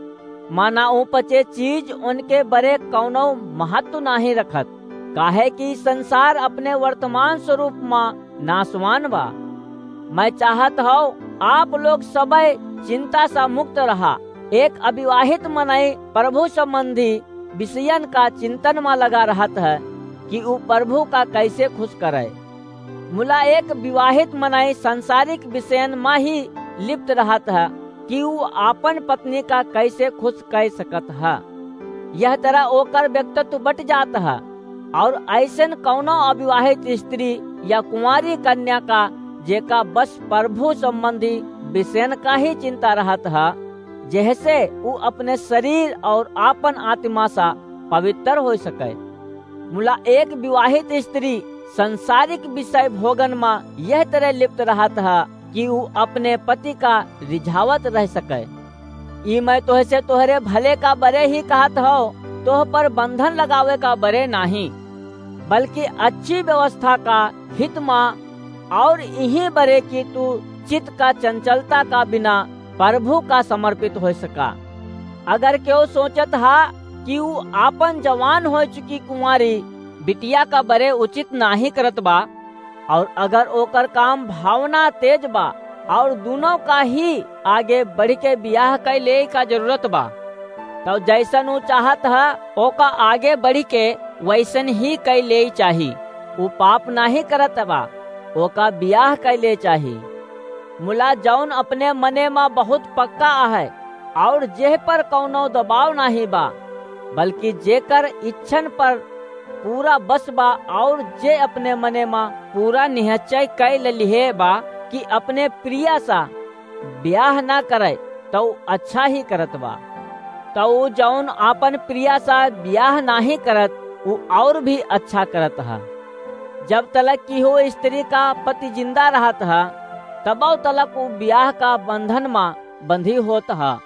माना ऊ पचे चीज उनके बरे कौनो महत्व नाहीं रखत, काहे कि संसार अपने वर्तमान स्वरूप मा नासवान बा। मैं चाहत हौ, आप लोग सबै चिंता सा मुक्त रहा। एक अविवाहित मनई प्रभु संबंधी विषयन का चिंतन मा लगा रहत है कि ऊ प्रभु का कैसे खुस करे। मुला एक विवाहित मनई सांसारिक विषयन मा ही लिप्त रहत है कि ऊ आपन पत्नी का कैसे खुस कै सकत है। यह तरह ओकर व्यक्तित्व बट जात है। और ऐसन कौनो अविवाहित स्त्री या कुंवारी कन्या का, जेका बस प्रभु संबंधी विषयन का ही चिंता रहत है, जेहसे ऊ अपने शरीर और आपन आत्मा सा पवित्र होइ सके। मुला एक विवाहित स्त्री सांसारिक विषय भोगन मा यह तरह लिप्त रहत है कि ऊ अपने पति का रिझावत रह सके। ई मैं तोहसे तोहरे भले का बरे ही कहत हौ, तोह पर बंधन लगावे का बरे नाहीं, बल्कि अच्छी व्यवस्था का हित मा, और इही बरे कि तू चित्त का चंचलता का बिना प्रभु का समर्पित होइ सका। अगर केहू सोचत हा कि ऊ आपन जवान होइ चुकी कुंवारी बिटिया का बरे उचित नाहीं करत बा, और अगर ओकर काम भावना तेज बा और दुनों का ही आगे बढ़ि के बियाह कै लेइ का जरूरत बा, तौ जैसन ऊ चाहत ह, ओका आगे बढ़ि के वैसन ही कै लेइ चाही। ऊ पाप नाहीं करत बा, ओका बियाह कै ले चाही। मुला जौन अपने मने मा बहुत पक्का आहे और जेह पर कौनो दबाव नाहीं बा, बल्कि जेकर इच्छन पर पूरा बस बा और जे अपने मने मा पूरा निहचय कै लेलिहे बा कि अपने प्रिया सा ब्याह ना करे, तौ अच्छा ही करत बा। तौ जौन आपन प्रिया सा ब्याह नाहीं करत, ऊ और भी अच्छा करत ह। जब तलक किहो स्त्री का पति जिंदा रहत ह, तबौ तलक ऊ ब्याह का बंधन मा बंधी होत ह।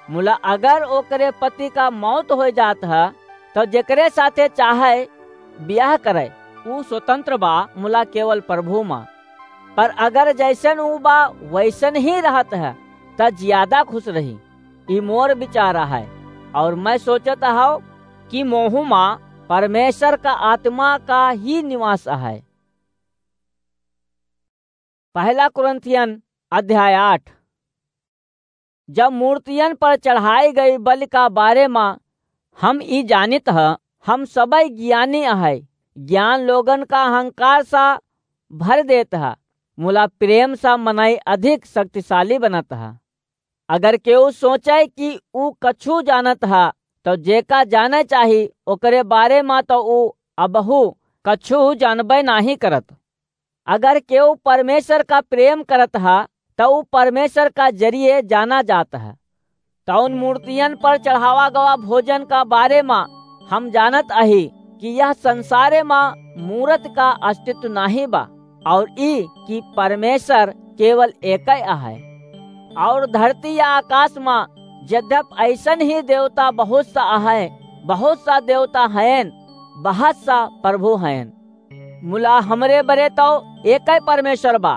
मुला अगर ओकरे पति का मौत होइ जात ह, तौ जेकरे साथे चाहे ब्याह करे, ऊ स्वतंत्र बा, मुला केवल प्रभु मा। पर अगर जैसन ऊ बा, वैसन ही रहत ह, त ज्यादा खुस रही। ई मोर विचार आहे, और मैं सोचत हौ कि मोहू मा परमेश्वर का आत्मा का ही निवास आहे। पहला कुरिन्थियन अध्याय आठ। जब मूर्तियन पर चढ़ाई गई बलि का बारे मा हम ई जानित ह, हम सबै ज्ञानी अहै। ज्ञान लोगन का अहंकार सा भर देत ह, मुला प्रेम सा मनई अधिक शक्तिशाली बनत ह। अगर केहू सोचै कि ऊ कछू जानत ह, तौ जेका जानै चाही, ओकरे बारे मा तौ ऊ अबहू कछू जानबै नाहीं करत। अगर केहू परमेश्वर का प्रेम करत ह, त ऊ परमेश्वर का जरिये जाना जात ह। तौन मूर्तियन पर चढ़ावा गवा भोजन का बारे मा हम जानत अही कि यह संसारे मा मूरत का अस्तित्व नाहीं बा, और ई कि परमेश्वर केवल एकै अहै। और धरती या आकाश मा यद्यप ऐसन ही देवता बहुत सा अहै, बहुत सा देवता हयन, बहुत सा प्रभु हयन, मुला हमरे बरे तौ एकै परमेश्वर बा,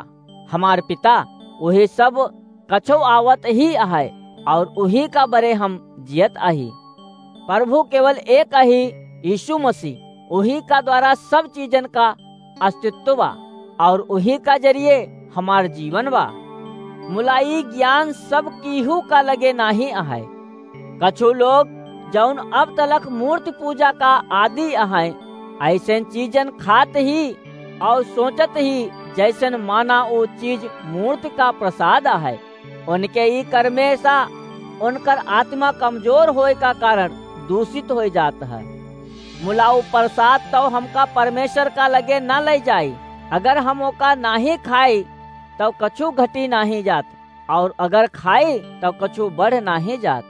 हमार पिता, उही सब कछो आवत ही अहै, और उही का बरे हम जियत अही। प्रभु केवल एक अही, यीशु मसीह, उही का द्वारा सब चीजन का अस्तित्व बा, और उही का जरिये हमार जीवन बा। मुला ई ज्ञान सब कीहू का लगे नाहीं अहै। कछु लोग जौन अब तलक मूर्ति पूजा का आदी अहैं, अइसन चीजन खात ही और सोचत ही, जैसन माना ऊ चीज मूर्ति का प्रसाद अहै। उनके ई कर्मे सा उनकर आत्मा कमजोर होए का कारण दूषित होए जात है। मुला ऊ प्रसाद तौ हमका परमेश्वर का लगे न ले जाई। अगर हम ओका नाहीं खाई, तौ कछु घटी नाहीं जात। और अगर खाई, तब कछु बढ़ नाहीं जात।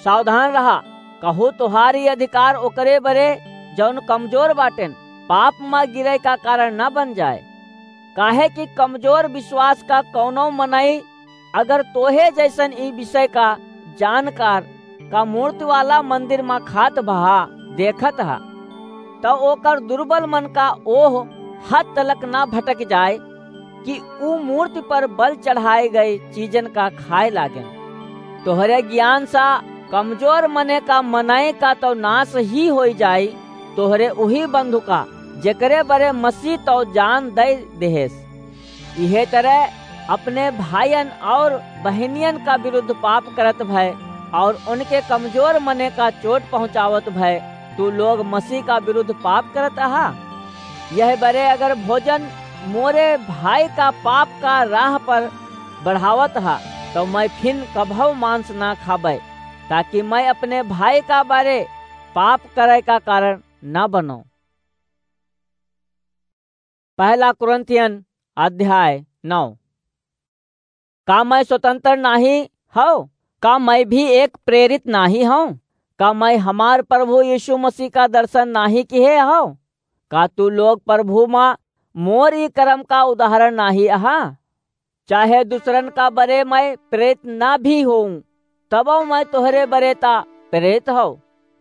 सावधान रहा, कहूँ तोहार ई अधिकार ओकरे बरे, जौन कमजोर बाटेन, पाप मा गिरे का कारण न बन जाए। काहे कि कमजोर विश्वास का कौनो मनई अगर तोहे जैसन ई विषय का जानकार का मूर्ति वाला मंदिर मा खात भा देखत हा, त ओकर दुर्बल मन का ओह हद तलक ना भटक जाए कि ऊ मूर्ति पर बल चढ़ाए गए चीजन का खाए लागेन। तोहरे ज्ञान सा कमजोर मने का मनय का तो नाश ही होई जाई, तोहरे उही बंधु का, जेकरे बरे मसीह तो जान दे देहेस। इहे तरह अपने भाइयन और बहनियन का विरुद्ध पाप करत भय और उनके कमजोर मने का चोट पहुँचावत भय तू लोग मसीह का विरुद्ध पाप करत अहा। यह बरे अगर भोजन मोरे भाई का पाप का राह पर बढ़ावत हा, तो मैं फिन कभव मांस ना खाबे, ताकि मैं अपने भाई का बरे पाप करे का कारण ना बनूं। पहला कुरिन्थियन अध्याय नौ। का मैं स्वतंत्र नाही हौ? का मैं भी एक प्रेरित नाही हौ? का मैं हमार प्रभु यीशु मसीह का दर्शन नाही किहे हौ? का तू लोग प्रभु मा मोर ई कर्म का उदाहरण नाही अहा? चाहे दूसरन का बरे मैं प्रेरित ना भी होऊं, तबो मैं तोहरे बरे ता प्रेरित हौ,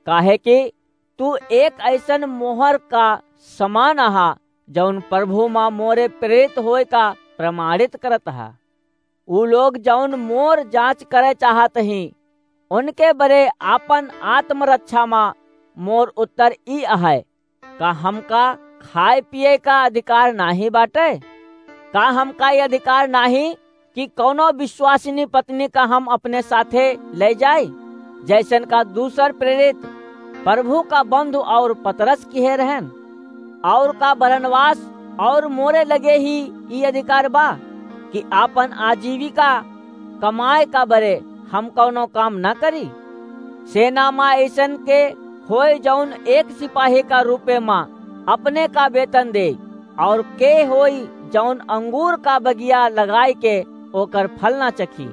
काहे कि तू एक ऐसन मोहर का समान अहा, जौन प्रभु मा मोरे प्रेरित होए का प्रमाणित करत हा। ऊ लोग जौन मोर जांच करे चाहत ही, उनके बरे आपन आत्मरक्षा मा मोर उत्तर ई अहै, का हमका खाए पिए का अधिकार नाही बाटे? का हमका ये अधिकार नाही कि कौनो विश्वासिनी पत्नी का हम अपने साथे ले जाई, जैसन का दूसर प्रेरित प्रभु का बंधु और पतरस किहे रहन? और का बरनबास और मोरे लगे ही ई अधिकार बा कि आपन आजीविका कमाए का बरे हम कौनो काम न करी? सेना मा ऐसन के होय जौन एक सिपाही का रूपे मा अपने का वेतन दे, और के होई जौन अंगूर का बगिया लगाए के ओकर फल ना चखी?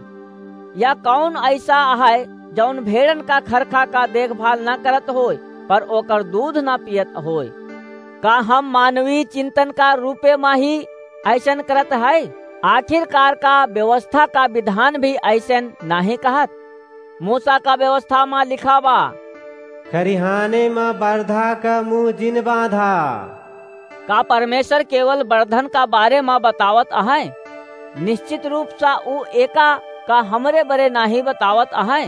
या कौन ऐसा है जौन भेड़न का खरखा का देखभाल ना करत होय, पर ओकर दूध ना पियत होय? का हम मानवीय चिंतन का रूपे मा ही ऐसन करत है? आखिरकार का व्यवस्था का विधान भी ऐसन नाही कहत? मूसा का व्यवस्था मा लिखा बा, खरिहाने मा बरधा का मुंह जिन बांधा। का परमेश्वर केवल बरधन का बारे मा बतावत अहै? निश्चित रूप सा ऊ एका का हमरे बरे नाही बतावत अहै।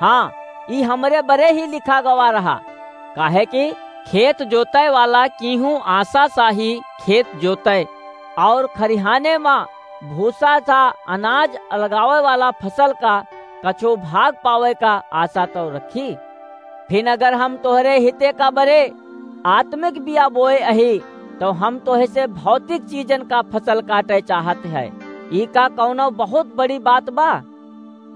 हाँ, ई हमरे बरे ही लिखा गवा रहा, काहे कि खेत जोतय वाला कीहू आशा सा ही खेत जोतय, और खरिहाने मा भूसा सा अनाज लगावे वाला फसल का कछो भाग पावे का आशा तो रखी। फिन अगर हम तोहरे हिते का बरे आत्मिक बिया बोए अही, तो हम तोहे से भौतिक चीजन का फसल काटे चाहत है। ई का कौनो बहुत बड़ी बात बा?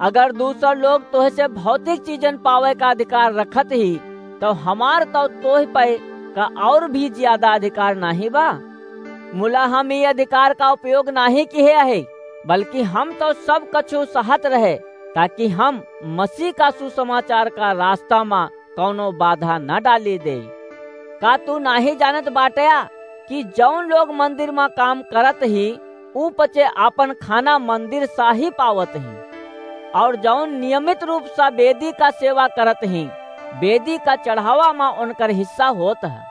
अगर दूसर लोग तोहे से भौतिक चीजन पावे का अधिकार रखत ही, तो हमार तो तोह पे का और भी ज्यादा अधिकार नाही बा। मुला हम ई अधिकार का उपयोग नाही किहे आहे, बल्कि हम तो सब कछु सहत रहे, ताकि हम मसीह का सुसमाचार का रास्ता मा कौनो बाधा न डाली दे। का तू नाही जानत बाटया कि जौन लोग मंदिर मा काम करत ही, ऊ पचे आपन खाना मंदिर सा ही पावत ही, और जौन नियमित रूप सा वेदी का सेवा करत ही, वेदी का चढ़ावा मा उनकर हिस्सा होत है।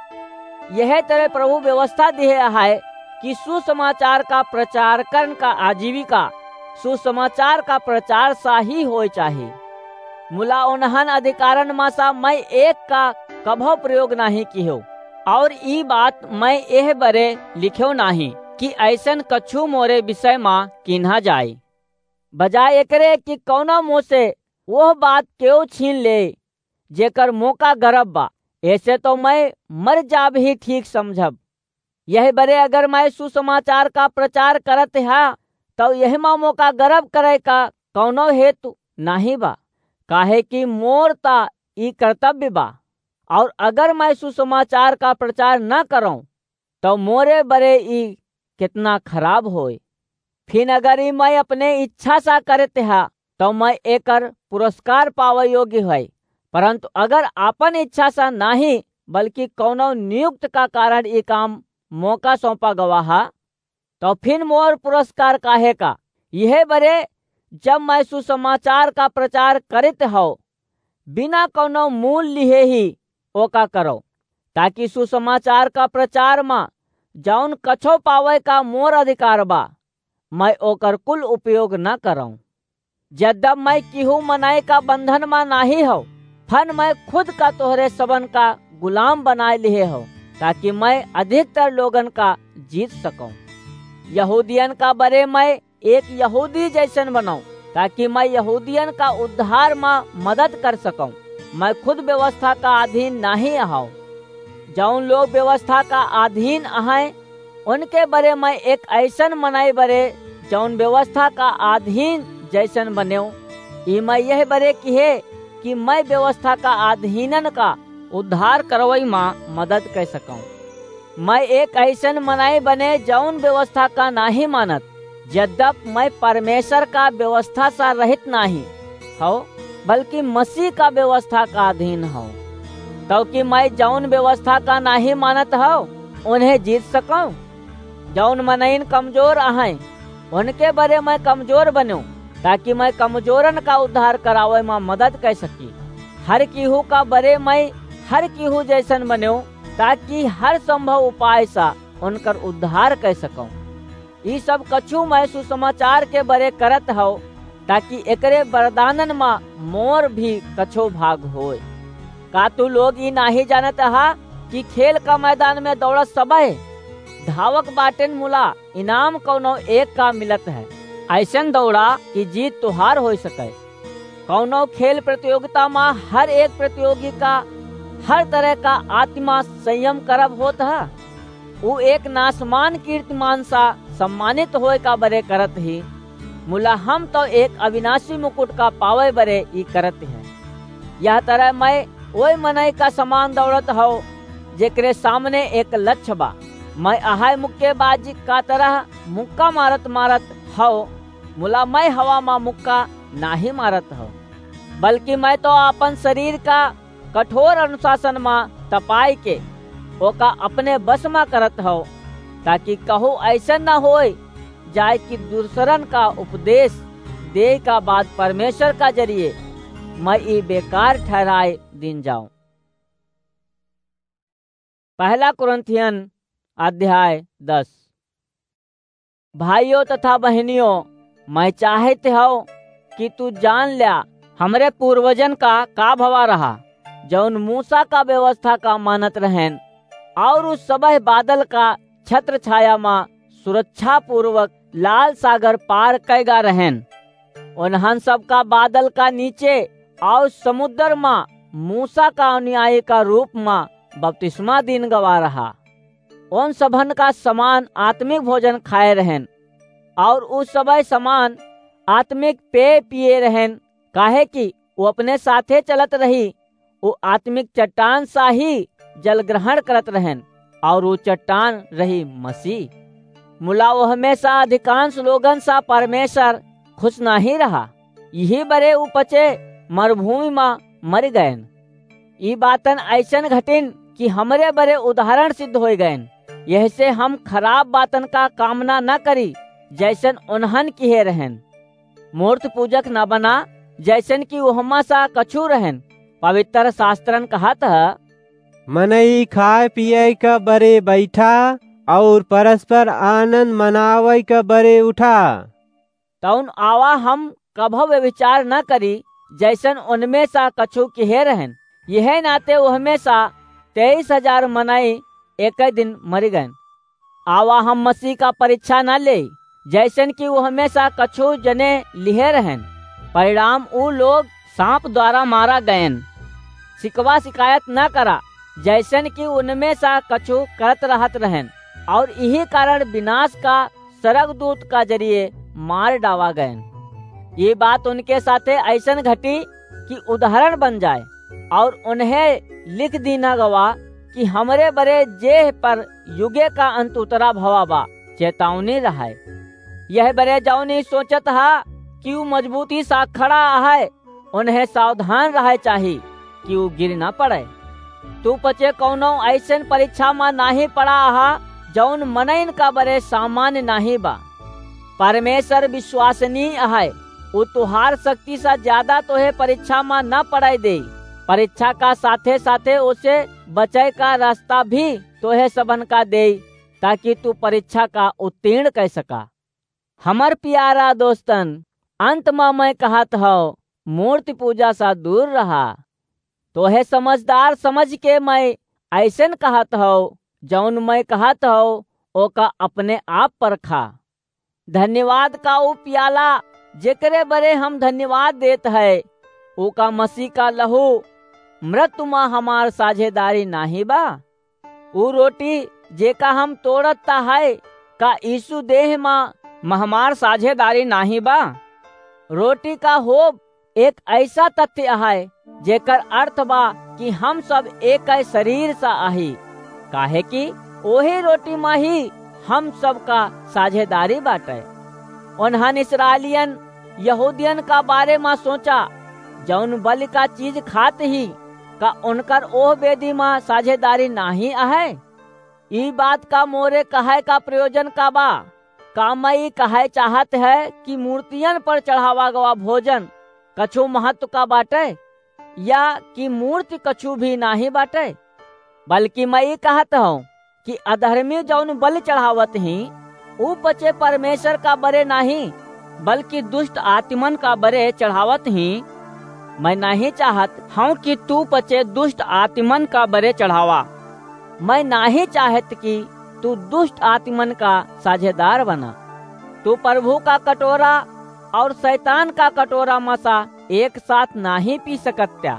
यह तरह प्रभु व्यवस्था दिहे है कि सुसमाचार का प्रचार करन का आजीविका सुसमाचार का प्रचार सा ही होए चाही। मुला उन्हन अधिकारन मा सा मैं एक का कभो प्रयोग नाही किहो, और ई बात मैं एह बरे लिखेव नाही कि ऐसन कछु मोरे विषय मा किन्हा जाए। बजाय एकरे कि कौनो मोसे वह बात केव छीन ले, जेकर मोका गरब बा, ऐसे तो मैं मर जाब ही ठीक समझब। यही बरे अगर मैं सुसमाचार का प्रचार करत हा, तो यही मा मोका गरब करे का कौनो हेतु नाही बा, काहे कि मोर ता ई कर्तव्य बा। और अगर मैं सुसमाचार का प्रचार न करौं, तो मोरे बरे ई कितना खराब होए। फिन अगर ई मैं अपने इच्छा सा करत हा, तो मैं एकर पुरस्कार पावे योग्य है, परंतु अगर आपन इच्छा सा नाही, बल्कि कौनो नियुक्त का कारण ई काम मोका सौंपा गवा हा, तो फिन मोर पुरस्कार काहे का? यह बरे जब मैं सुसमाचार का प्रचार करित हौ, बिना कौनो मूल लिहे ही ओका करौ, ताकि सुसमाचार का प्रचार मा जौन कछो पावै का मोर अधिकार बा, मैं ओकर कुल उपयोग न करौं। जद्दब मैं किहू मनाई का बंधन मा नाहीं हौ, फन मैं खुद का तोहरे सबन का गुलाम बनाए लिहे हौ, ताकि मैं अधिकतर लोगन का जीत सकौं। यहूदियन का बरे मैं एक यहूदी जैसन बनौं, ताकि मैं यहूदियन का उद्धार मा मदद कर सकौं। मैं खुद व्यवस्था का अधीन नाहीं अहौं। जौन लोग व्यवस्था का अधीन अहैं, उनके बरे मैं एक ऐसन मनई बरे, जौन व्यवस्था का अधीन जैसन बनेव। ई मैं यह बरे किहे कि मैं व्यवस्था का अधीनन का उद्धार करवई मा मदद कर सकौं। मैं एक ऐसन मनई बने, जौन व्यवस्था का नाहीं मानत, जद्दप मैं परमेश्वर का व्यवस्था सा रहित नाहीं हौ, बल्कि मसीह का व्यवस्था का अधीन हौ, तौकि मैं जौन व्यवस्था का नाहीं मानत हौ, उन्हें जीत सकौं। जौन मनइन कमजोर अहैं, उनके बरे मैं कमजोर बनेव, ताकि मैं कमजोरन का उद्धार करावै मा मदद कर सकी। हर किहू का बरे मैं हर किहू जैसन बनेव, ताकि हर संभव उपाय सा उनकर उद्धार कर सकौं। ई सब कछु मैं सुसमाचार के बरे करत हौ, ताकि एकरे वरदानन मा मोर भी कछो भाग होय। का तू लोग ई नाहीं जानत हा कि खेल का मैदान में दौड़त सबह धावक बाटेन, मुला इनाम कौनो एक का मिलत है? ऐसन दौड़ा कि जीत तोहार हो सके। कौनो खेल प्रतियोगिता मा हर एक प्रतियोगी का हर तरह का आत्मा संयम करब होत है। ऊ एक नासमान कीर्तिमान सा सम्मानित होए का बरे करत ही, मुला हम तो एक अविनाशी मुकुट का पावे बरे ई करत हैं। यह तरह मैं ओए मनई का समान दौड़त हौ, जेकरे सामने एक लक्ष्य बा। मैं अहाय मुक्केबाज का तरह मुक्का मारत मारत हौ, मुला मैं हवा मा मुक्का नाहीं मारत हौ, बल्कि मैं तो आपन शरीर का कठोर अनुशासन मा तपाई के ओका अपने बस मा करत हौ, ताकि कहू ऐसन न होय जाए कि दूसरन का उपदेश दे का बाद परमेश्वर का जरिए मैं ई बेकार ठहराए दिन जाऊं। पहला कुरिन्थियन अध्याय दस। भाइयों तथा बहनियों, मैं चाहत हौ कि तू जान ल्या, हमरे पूर्वजन का का भवा रहा, जौन मूसा का व्यवस्था का मानत रहेन, और उस सबह बादल का छत्र छाया मा सुरक्षा पूर्वक लाल सागर पार कैगा रहेन। उन्हन सबका बादल का नीचे और समुद्र मा मूसा का अनुयायी का रूप मा बपतिस्मा दीन गवा रहा। उन सबन का समान आत्मिक भोजन खाए रहेन, और उ सबह समान आत्मिक पेय पिए रहेन, काहे कि उ अपने साथे चलत रही, उ आत्मिक चट्टान सा ही जल ग्रहण करत रहेन, और उ चट्टान रही मसीह। मुला ओहमे सा अधिकांश लोगन सा परमेश्वर खुश नाहीं रहा, यही बरे उ पचे मरुभूमि मा मरि गएन। ई बातन ऐसन घटिन कि हमरे बरे उदाहरण सिद्ध होय गएन। यह से हम खराब बातन का कामना न करी, जैसन उन्हन किहे रहेन। मूर्त पूजक न बना, जैसन कि ओहमा सा कछु रहेन। पवित्र शास्त्रन कहत ह, मनई खाए पिए का बरे बैठा और परस्पर आनंद मनावे का बरे उठा। तौन आवा हम कभो व्यभिचार न करी, जैसन उनमें सा कछु किहे रहेन। यह नाते ओहमें सा तेईस हजार मनई एक दिन मरि गएन। आवा हम मसीह का परीक्षा न ले, जैसन कि ओहमें सा कछु जने लिहे रहेन। परिणाम उ लोग सांप द्वारा मारा गएन। शिकवा शिकायत न करा, जैसन कि उनमें सा कछु करत रहत रहेन, और यही कारण विनाश का सरगदूत का जरिए मार डावा गएन। ये बात उनके साथे ऐसन घटी कि उदाहरण बन जाए, और उन्हें लिख दीना गवा कि हमरे बरे जेह पर युगे का अंत उतरा भवा बा, चेतावनी रहाए। यह बरे जौन ई सोचत हा कि उ मजबूती सा खड़ा है, उन्हें सावधान रहे चाही कि उ गिर न पड़े। तू पचे कौनो ऐसन परीक्षा मा नाहीं पड़ा हा, जौन मनइन का बरे सामान्य नाहीं बा। परमेश्वर विश्वसनीय अहै, उ तुहार शक्ति सा ज्यादा तोहे परीक्षा मा न पड़ै देई। परीक्षा का साथे साथे ओसे बचै का रास्ता भी तोहे सबन का देई, ताकि तू परीक्षा का उत्तीर्ण कै सका। हमर प्यारा दोस्तन, अंत मा मैं कहत हौ, मूर्ति पूजा सा दूर रहा। तोहे समझदार समझ के मैं ऐसन कहत हौ, जौन मैं कहत हौ, ओका अपने आप परखा। धन्यवाद का उ प्याला, जेकरे बरे हम धन्यवाद देत है, ओका मसीह का लहू मृत्यु मा हमार साझेदारी नाहीं बा? उ रोटी जेका हम तोड़त ता है, का यीशु देह मा, मा हमार साझेदारी नाहीं बा? रोटी का होब एक ऐसा तथ्य है, जेकर अर्थ बा कि हम सब एक शरीर सा आही, काहे कि ओही रोटी मा ही हम सब का साझेदारी बाटे। उन्हन इस्राएलियन यहूदियन का बारे मा सोचा, जौन बलि का चीज खात ही, का उनकर ओह वेदी मा साझेदारी नाहीं अहै? ई बात का मोरे कहै का प्रयोजन का बा? का मैं ई कहै चाहत है कि मूर्तियन पर चढ़ावा गवा भोजन कछु महत्व का बाटे, या कि मूर्ति कछु भी नाहीं बाटे? बल्कि मैं ई कहत हूँ कि अधर्मी जौन बलि चढ़ावत ही, उ पचे परमेश्वर का बरे नाहीं, बल्कि दुष्ट आत्मन का बरे चढ़ावत ही। मैं नाहीं चाहत हूँ कि तू पचे दुष्ट आत्मन का बरे चढ़ावा। मैं नाहीं चाहत कि तू दुष्ट आत्मन का साझेदार बना। तू प्रभु का कटोरा और शैतान का कटोरा मा सा एक साथ नाहीं पी सकत्या।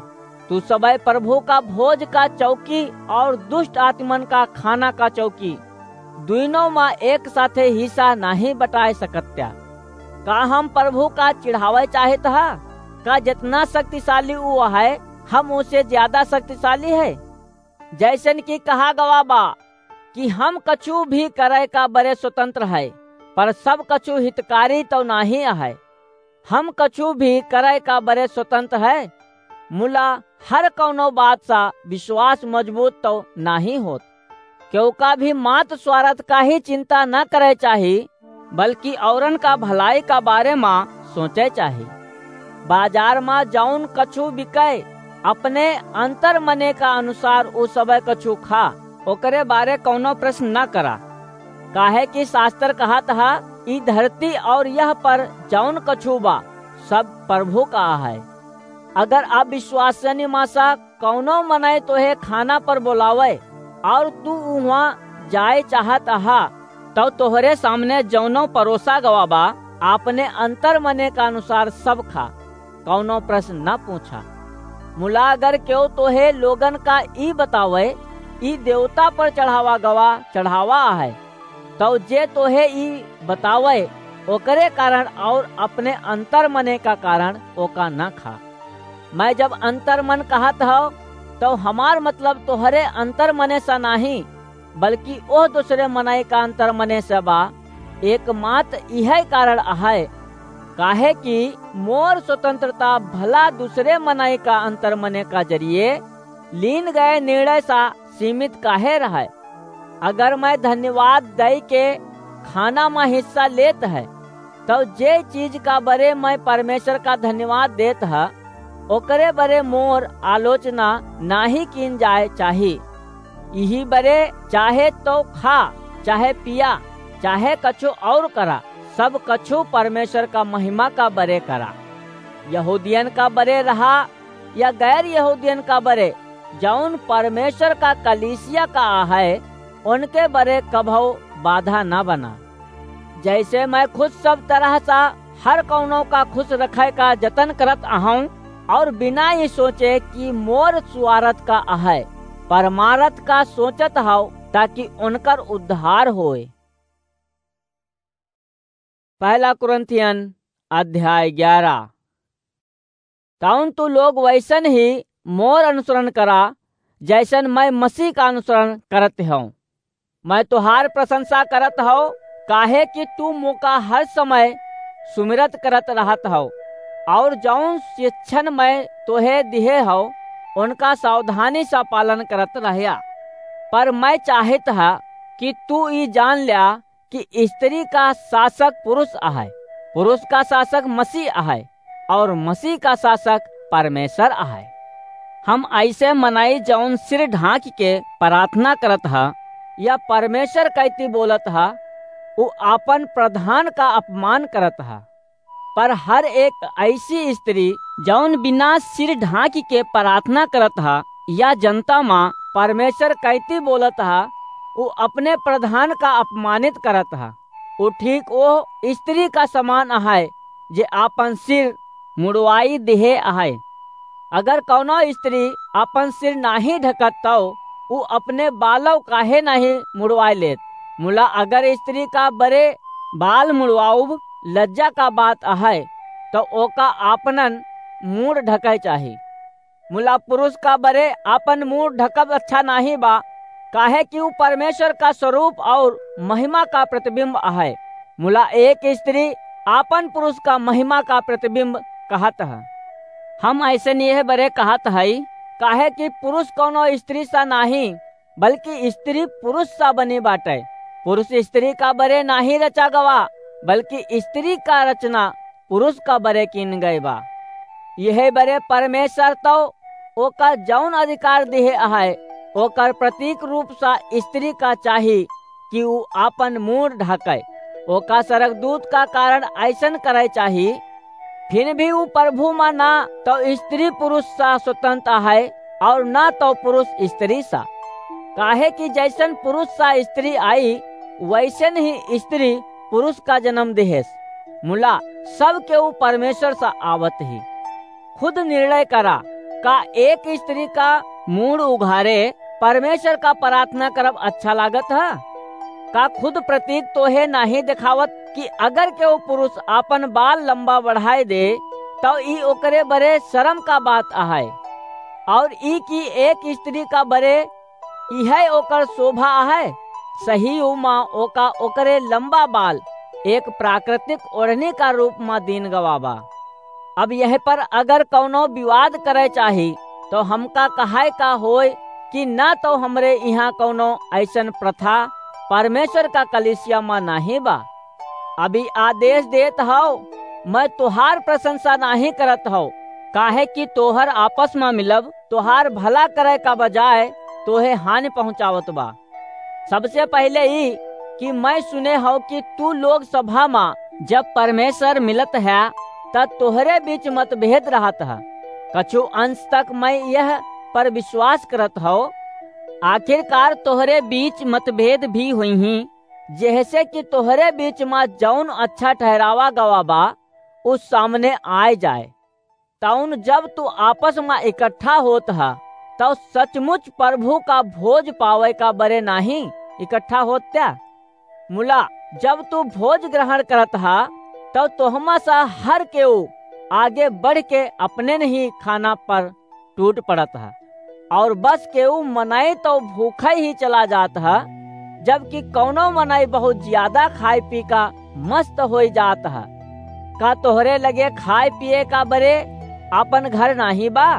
तू सबे प्रभु का भोज का चौकी और दुष्ट आत्मन का खाना का चौकी, दुइनों मा एक साथे हिस्सा नाहीं बटाए सकत्या। का हम प्रभु का चिढ़ावे चाहत हा? का जितना शक्तिशाली उ है, हम उसे ज्यादा शक्तिशाली है? जैसन कि कहा गवा बा कि हम कछु भी करे का बरे स्वतंत्र है, पर सब कछु हितकारी तो नाहीं है। हम कछु भी करे का बरे स्वतंत्र है, मुला हर कौनो बात सा विश्वास मजबूत तो नाहीं होत। केहू का भी मात स्वार्थ का ही चिंता न करे चाही, बल्कि औरन का भलाई का बारे मा सोचे चाही। बाजार मा जौन कछु बिकै, अपने अंतर मने का अनुसार उ सबे कछु खा, ओकरे बारे कौनो प्रश्न न करा। काहे कि शास्त्र कहत हा, "ई धरती और यह पर जौन कछु बा, सब प्रभु का है।" अगर अविश्वसनीय मा सा कौनो मनई तोहे खाना पर बोलावे और तू उहाँ जाए चाहत हा, तौ तोहरे सामने जौनो परोसा गवा बा, अपने अंतर मने का अनुसार सब खा, कौनो प्रश्न न पूछा। मुला अगर केहू तोहे लोगन का ई बतावे, "ई देवता पर चढ़ावा गवा चढ़ावा है," तौ जे तोहे ई बतावे, ओकरे कारण और अपने अंतर मने का कारण ओका न खा। मैं जब अंतर मन कहत हौ, तौ हमार मतलब तोहरे अंतर मने सा नाहीं, बल्कि ओह दूसरे मनई का अंतर मने से बा। एकमात्र इहे कारण अहै, काहे कि मोर स्वतंत्रता भला दूसरे मनई का अंतर मने का जरिए लीन गए निर्णय सा सीमित काहे रहै? अगर मैं धन्यवाद दई के खाना मा हिस्सा लेत है, तौ जे चीज का बरे मैं परमेश्वर का धन्यवाद देत ह, ओकरे बरे मोर आलोचना नाहीं कीन जाए चाही। इही बरे चाहे तौ खा, चाहे पिया, चाहे कछु और करा, सब कछु परमेश्वर का महिमा का बरे करा। यहूदियन का बरे रहा या गैर यहूदियन का बरे, जौन परमेश्वर का कलीसिया का आहै, उनके बरे कभौ बाधा न बना। जैसे मैं खुद सब तरह सा हर कौनो का खुश रखे का जतन करत अहौं, और बिना ई सोचे कि मोर स्वार्थ का अहै, परमारथ का सोचत हौ, ताकि उनकर उद्धार होए। पहला कुरिन्थियन अध्याय ग्यारह। तौन तू लोग वैसन ही मोर अनुसरण करा, जैसन मैं मसीह का अनुसरण करत हौं। मैं तोहार प्रशंसा करत हौं, काहे कि तू मोका हर समय सुमिरत करत रहत हौ, और जौन शिक्षण मैं तोहे दिहे हौ, उनका सावधानी से पालन करत रहया। पर मैं चाहत ह कि तू ई जान ल्या कि स्त्री का शासक पुरुष अहै, पुरुष का शासक मसीह अहै, और मसीह का शासक परमेश्वर अहै। हम ऐसे मनई जौन सिर ढांक के प्रार्थना करत ह या परमेश्वर कैती बोलत ह, उ आपन प्रधान का अपमान करत ह। पर हर एक ऐसी स्त्री जौन बिना सिर ढांक के प्रार्थना करत ह या जनता मा परमेश्वर कैती बोलत ह, उ अपने प्रधान का अपमानित करत ह। उ ठीक ओ स्त्री का समान अहै जे आपन सिर मुड़वाई दिहे अहै। अगर कौनो स्त्री आपन सिर नाहीं ढकत तौ उ अपने बालौ काहे नाहीं मुड़वाए लेत? मुला अगर स्त्री का बरे बाल मुड़वाउब लज्जा का बात अहै, तौ ओका आपनन मूड़ ढकै चाही। मुला पुरुष का बरे आपन मूड़ ढकब अच्छा नाहीं बा, काहे कि उ परमेश्वर का स्वरूप और महिमा का प्रतिबिंब अहै। मुला एक स्त्री आपन पुरुष का महिमा का प्रतिबिंब कहत ह। हम ऐसे नियह बरे कहत हई, काहे कि पुरुष कौनो स्त्री सा नाहीं, बल्कि स्त्री पुरुष सा बनी बाटै। पुरुष स्त्री का बरे नाहीं रचा गवा, बल्कि स्त्री का रचना पुरुष का बरे कीन गए बा। यह बरे परमेश्वर तौ ओका जौन अधिकार दिहे अहै, ओकर प्रतीक रूप सा स्त्री का चाही कि उ आपन मूड़ ढाकै। ओका सरगदूत का कारण ऐसन करै चाही। फिर भी उ प्रभु मा ना तौ स्त्री पुरुष सा स्वतंत्र अहै और ना तौ पुरुष स्त्री सा। काहे कि जैसन पुरुष सा स्त्री आई, वैसन ही स्त्री पुरुष का जन्म देहेस। मुला सब केहू परमेश्वर सा आवत ही। खुद निर्णय करा, का एक स्त्री का मूड़ उघारे परमेश्वर का प्रार्थना करब अच्छा लागत ह? का खुद प्रतीक तोहे नाहीं देखावत कि अगर केहू पुरुष आपन बाल लंबा बढ़ाए दे, तौ ई ओकरे बरे शरम का बात अहै? और ई कि एक स्त्री का बरे इहै ओकर शोभा अहै? सही मा ओका ओकरे लंबा बाल एक प्राकृतिक ओढ़नी का रूप मा दीन गवा बा। अब यह पर अगर कौनो विवाद करै चाही, तौ हमका कहाय का होय कि ना तौ हमरे इहाँ कौनो ऐसन प्रथा परमेश्वर का कलीसिया मा नाहीं बा। अभी आदेश देत हौ, मैं तोहार प्रशंसा नाहीं करत हौ, काहे कि तोहर आपस मा मिलब तोहार भला करै का बजाय तोहे हानि पहुँचावत बा। सबसे पहिले ई कि मैं सुने हौ कि तू लोग सभा मा जब परमेश्वर मिलत ह, त तोहरे बीच मतभेद रहत ह। कछु अंश तक मैं यह पर विश्वास करत हौ। आखिरकार तोहरे बीच मतभेद भी होइहीं, जेहसे कि तोहरे बीच मा जौन अच्छा ठहरावा गवा बा, उ सामने आए जाए। तौन जब तू आपस मा इकट्ठा होत ह, तौ सचमुच प्रभु का भोज पावै का बरे नाहीं इकट्ठा होत त्या? मुला, जब तू भोज ग्रहण करत ह, तौ तोहमा सा हर केऊ आगे बढ़ के अपने नहीं खाना पर टूट पड़त ह, और बस केऊ मनई तौ भूखै ही चला जात ह, जबकि कौनो मनई बहुत ज्यादा खाए पी का मस्त होई जात ह। का तोहरे लगे खाए पिए का बरे आपन घर नाहीं बा?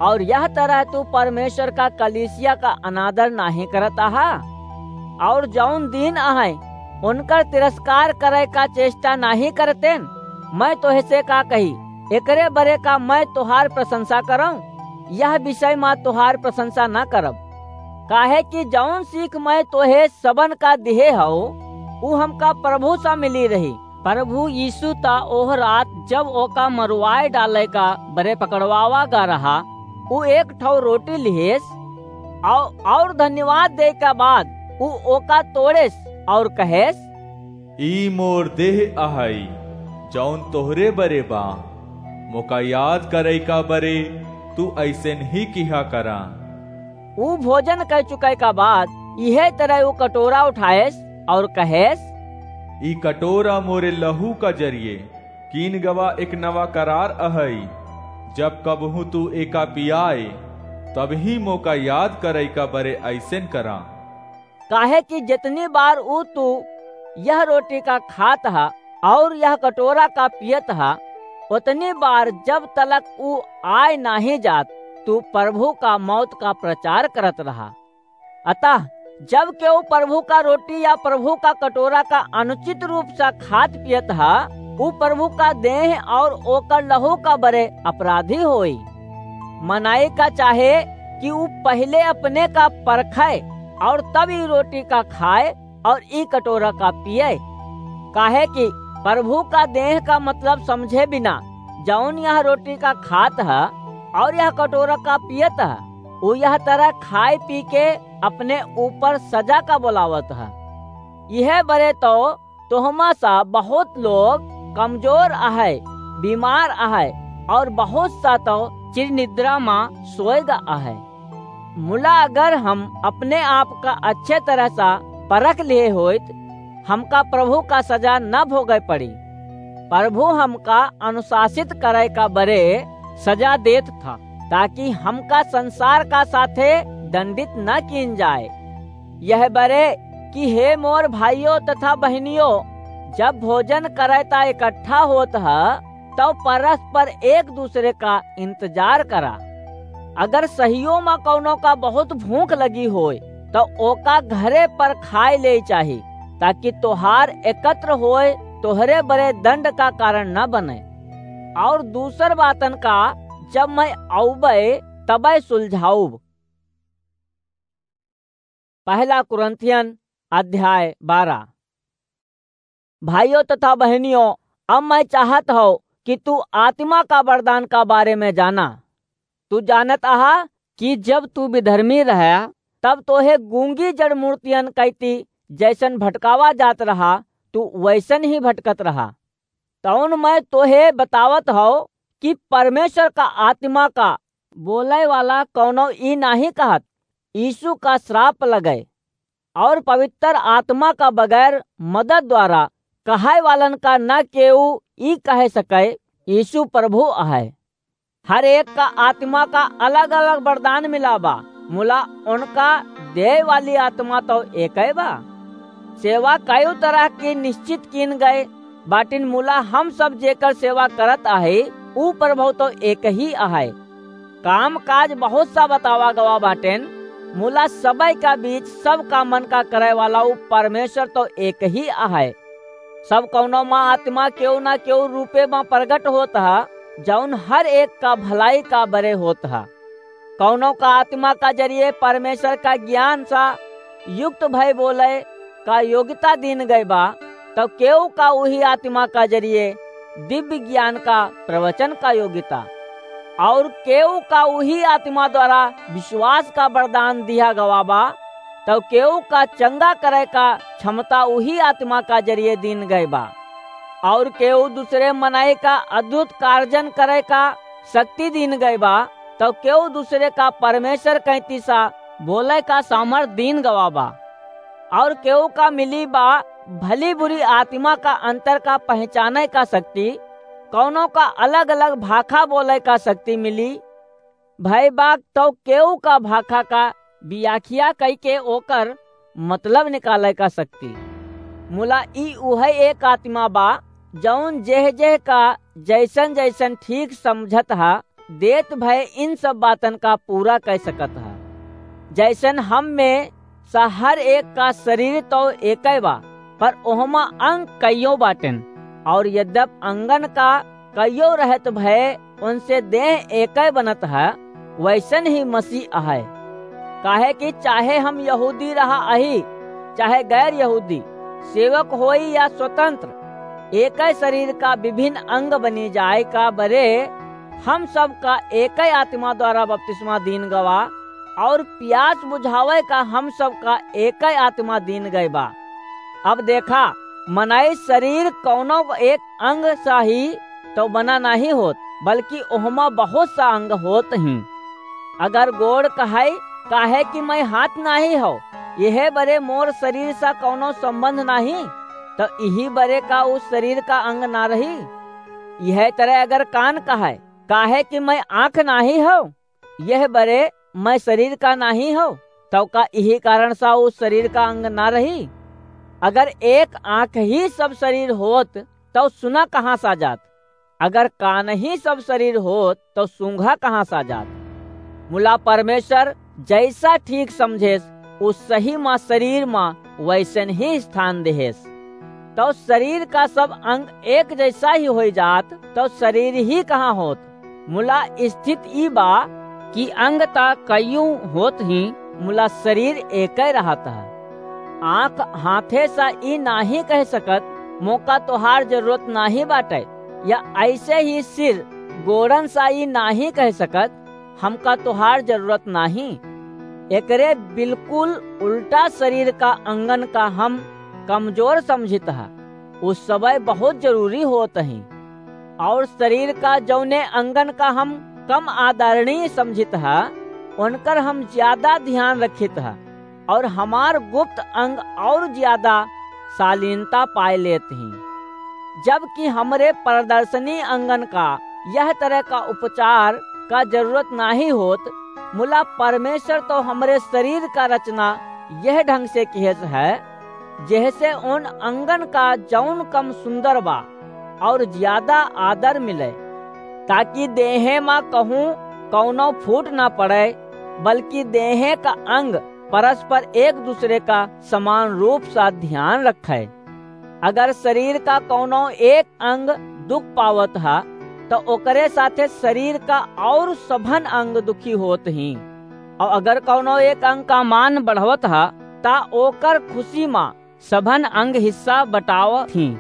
और यह तरह तू परमेश्वर का कलीसिया का अनादर नाहीं करत आहा? और जौन दीन अहै, उनकर तिरस्कार करै का चेष्टा नाहीं करतेन? मैं तोहे से का कही, एकरे बरे का मैं तोहार प्रशंसा करौं? यह विषय मा तोहार प्रशंसा न करब, काहे कि जौन सीख मैं तोहे सबन का दिहे हौ, उ हमका प्रभु सा मिली रही। प्रभु यीशु ता ओह रात, जब ओका मरवाए डालै का बरे पकड़वावा गा रहा, उ एक ठौ रोटी लिहेस, औ-, और धन्यवाद दे का बाद उ ओका तोड़ेस और कहेस, "ई मोर देह अहै, जौन तोहरे बरे बा। मोका याद करै का बरे तू ऐसन ही किहा करा।" ऊ भोजन कै चुकै का बाद इहे तरह ऊ कटोरा उठाएस और कहेस, "ई कटोरा मोरे लहू का जरिए कीन गवा एक नवा करार अहै। जब कबहूँ तू एका पियाए, तबही मोका याद करै का बरे ऐसन करा।" काहे कि जितनी बार ऊ तू यह रोटी का खात ह और यह कटोरा का पियत ह, उतनी बार जब तलक ऊ आए नाहीं जात, तू प्रभु का मौत का प्रचार करत रहा। अतः जब केहू प्रभु का रोटी या प्रभु का कटोरा का अनुचित रूप से खात पियत ह, उ प्रभु का देह और ओकर लहू का बरे अपराधी होई। मनाई का चाहे कि उ पहिले अपने का परखे और तब ई रोटी का खाए और ई कटोरा का पिए। काहे कि प्रभु का देह का मतलब समझे बिना जौन यह रोटी का खात ह और यह कटोरा का पियत ह, उ यह तरह खाए पी के अपने ऊपर सजा का बोलावत ह। यह बरे तो तोहमा सा बहुत लोग कमजोर अहै, बीमार अहै और बहुत सा तो चिरनिद्रा मा सोएगा अहै। मुला अगर हम अपने आप का अच्छे तरह सा परख लिए होइत, हमका प्रभु का सजा न भोगे पड़ी। प्रभु हमका अनुशासित करे का बरे सजा देत था, ताकि हमका संसार का साथे दंडित न कीन जाए। यह बरे कि हे मोर भाइयों तथा बहनियों, जब भोजन करे ता इकट्ठा होत ह, तब परस्पर एक दूसरे का इंतजार करा। अगर सहियो मा कौनो का बहुत भूख लगी होय, तो ओका घरे पर खाए ले चाही, ताकि तोहार एकत्र होए तोहरे बरे दंड का कारण न बने। और दूसर बातन का जब मैं आउबे, तबे सुलझाउब। पहला कुरिन्थियन अध्याय बारह। भाइयों तथा बहनियों, अब मैं चाहत हूँ कि तू आत्मा का वरदान का बारे में जाना। तू जानत आहा कि जब तू विधर्मी रहा, तब तोहे गूंगी जड़ मूर्तियन कैती जैसन भटकावा जात रहा, तू वैसन ही भटकत रहा। तौन मैं तोहे बतावत हौ कि परमेश्वर का आत्मा का बोले वाला कौनो ई नाहीं कहत, यीशु का श्राप लगे। और पवित्र आत्मा का बगैर मदद द्वारा कहे वालन का न केऊ ई कहे सके, यीशु प्रभु अहै। हर एक का आत्मा का अलग-अलग वरदान मिला बा, मुला उनका देय वाली आत्मा तो एकई बा। सेवा कई तरह की निश्चित कीन गए बाटिन, मुला हम सब जेकर सेवा करत आहे, ऊ प्रभु तो एक ही आहे। काम काज बहुत सा बतावा गवा बाटेन, मुला सबई का बीच सब का मन का करे वाला ऊ परमेश्वर तो एक ही आहे। सब कौनो मा आत्मा केहू ना केहू रूपे मा प्रगट होत ह, जौन हर एक का भलाई का बरे होत ह। कौनो का आत्मा का जरिए परमेश्वर का ज्ञान सा युक्त भय बोले का योग्यता दीन गए बा, तो केहू का उही आत्मा का जरिए दिव्य ज्ञान का प्रवचन का योग्यता, और केहू का उही आत्मा द्वारा विश्वास का वरदान दिया गवा बा, तो केहू का चंगा करे का क्षमता उही आत्मा का जरिए दीन गए बा, और केहू दूसरे मनई का अद्भुत कार्जन करे का शक्ति दीन गए बा, तो केहू दूसरे का परमेश्वर कैती सा बोले का सामर्थ दीन गवा बा। और केहू का मिली बा भली बुरी आत्मा का अंतर का पहचाने का शक्ति, कौनो का अलग-अलग भाखा बोले का शक्ति मिली। भई बा तो केहू का भाखा का व्याख्या कई के ओकर मतलब निकाले का शक्ति। मुला ई उहे एक आत्मा बा, जौन जेह जेह का जैसन जैसन ठीक समझत हा, देत भय इन सब बातन का पूरा कह सकत ह। जैसन हम में सा हर एक का शरीर तो एकई बा, पर ओहमा अंग कइयो बाटेन, और यद्यप अंगन का कइयो रहत भय उनसे देह एकई बनत ह, वैसन ही मसीह अहै। काहे कि चाहे हम यहूदी रहा अही, चाहे गैर यहूदी, सेवक होई या स्वतंत्र, एकई शरीर का विभिन्न अंग बनी जाए का बरे हम सब का एकई आत्मा द्वारा बपतिस्मा दीन गवा, और प्यास बुझावे का हम सब का एकई आत्मा दीन गए बा। अब देखा, मनई शरीर कौनो एक अंग सा ही तो बना नाहीं होत, बल्कि ओहमा बहुत सा अंग होत ही। अगर गोड़ कहै, "काहे कि मैं हाथ नाहीं हौ, यह बरे मोर शरीर सा कौनो संबंध नाहीं," तो इही बरे का उस शरीर का अंग ना रही? यह तरह अगर कान कहै, "काहे कि मैं आँख नाहीं हौ, यह बरे मैं शरीर का नाहीं हौ," तो का इही कारण सा उस शरीर का अंग ना रही? अगर एक आँख ही सब शरीर होत, तो सुना कहाँ सा जात? अगर कान ही सब शरीर होत, तो सूंघा कहाँ सा जात? मुला परमेश्वर जैसा ठीक समझेस, उ सही मा शरीर मा वैसन ही स्थान देहेस। तौ शरीर का सब अंग एक जैसा ही होइ जात, तौ शरीर ही कहाँ होत? मुला स्थित ई बा कि अंग ता कइयूं होत ही, मुला शरीर एकै रहत ह। आँख हाथे सा ई नाहीं कह सकत, "मोका तोहार जरूरत नाहीं बाटै," या ऐसे ही सिर गोड़न सा ई नाहीं कह सकत, "हमका तोहार जरूरत नाहीं।" एकरे बिल्कुल उल्टा शरीर का अंगन का हम कमजोर समझित ह। उ सबै बहुत जरूरी होत ही। और शरीर का जौने अंगन का हम कम आदरणीय समझित ह, उनकर हम ज्यादा ध्यान रखित ह और हमार गुप्त अंग और ज्यादा शालीनता पाए लेत ही। जबकि हमरे प्रदर्शनी अंगन का यह तरह का उपचार का जरूरत नाहीं होत, मुला परमेश्वर तो हमरे शरीर का रचना यह ढंग से किहेस है, जेहसे उन अंगन का जौन कम सुंदर बा और ज्यादा आदर मिले, ताकि देहे मा कहूँ कौनो फूट ना पड़े, बल्कि देहे का अंग परस्पर एक दूसरे का समान रूप सा ध्यान रखे। अगर शरीर का कौनो एक अंग दुख पावत ह, त ओकरे साथे शरीर का और सभन अंग दुखी होत ही। और अगर कौनो एक अंग का मान बढ़वत ह, त ओकर खुशी मा सभन अंग हिस्सा बटावत ही।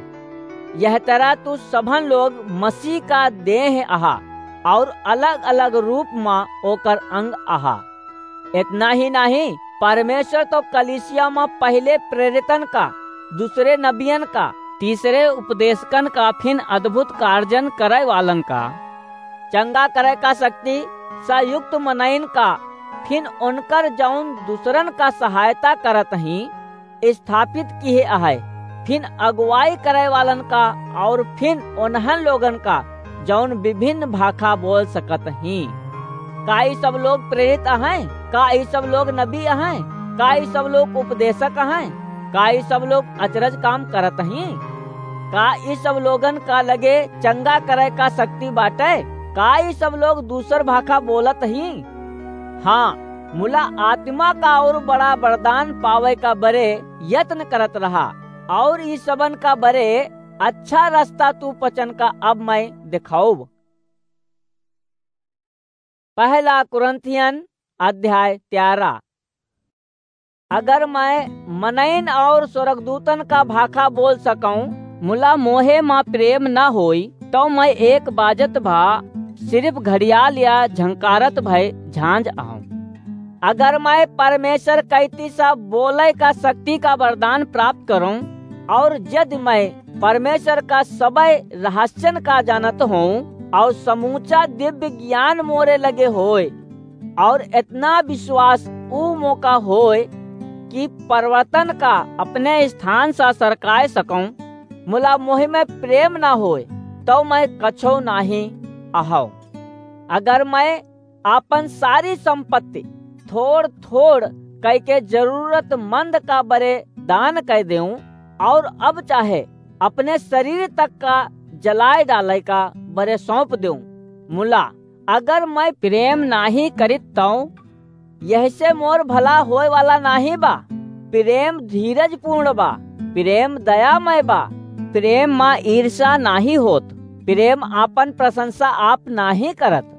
यह तरह तू सभन लोग मसीह का देह अहा और अलग-अलग रूप मा ओकर अंग अहा। इतना ही नाहीं, परमेश्वर तो कलीसिया मा पहिले प्रेरितन का, दूसरे नबियन का, तीसरे उपदेशकन का, फिन अद्भुत कार्जन करे वालन का, चंगा करे का शक्ति सा युक्त मनइन का, फिन उनकर जौन दूसरन का सहायता करत ही, स्थापित किहे अहै, फिन अगुवाई करे वालन का और फिन उन्हन लोगन का जौन विभिन्न भाखा बोल सकत ही। का ई सब लोग प्रेरित अहैं? का ई सब लोग नबी अहैं? का ई सब लोग उपदेशक अहैं? का ई सब लोग अचरज काम करत ही? का ई सब लोगन का लगे चंगा करे का शक्ति बाटे? का ई सब लोग दूसर भाखा बोलत ही? हाँ, मुला आत्मा का और बड़ा वरदान पावे का बरे यत्न करत रहा, और ई सबन का बरे अच्छा रास्ता तू पचन का अब मैं देखाउब। पहला कुरिन्थियन अध्याय तेरह। अगर मैं मनइन और स्वर्गदूतन का भाखा बोल सकौं, मुला मोहे मा प्रेम न होई, तौ मैं एक बाजत भा सिर्फ घड़ियाल या झंकारत भय झांझ अहौं। अगर मैं परमेश्वर कैती सा बोले का शक्ति का वरदान प्राप्त करौं, और यदि मैं परमेश्वर का सबै रहस्यन का जानत हौं, और समूचा दिव्य ज्ञान मोरे लगे होय, और इतना विश्वास ऊ मोका होय कि पर्वतन का अपने स्थान सा सरकाय सकौं, मुला मोहि में प्रेम ना होय, तौ मैं कछो नाहीं अहौं। अगर मैं आपन सारी संपत्ति थोड़-थोड़ कइके जरूरतमंद का बरे दान कइ देऊं, और अब चाहे अपने शरीर तक का जलाए डाले का बरे सौंप देऊं, मुला अगर मैं प्रेम नाहीं करित तौ यहसे मोर भला होए वाला नाहीं बा। प्रेम धीरजपूर्ण बा, प्रेम दयामय बा, प्रेम मा ईर्ष्या नाहीं होत, प्रेम आपन प्रशंसा आप नाहीं करत,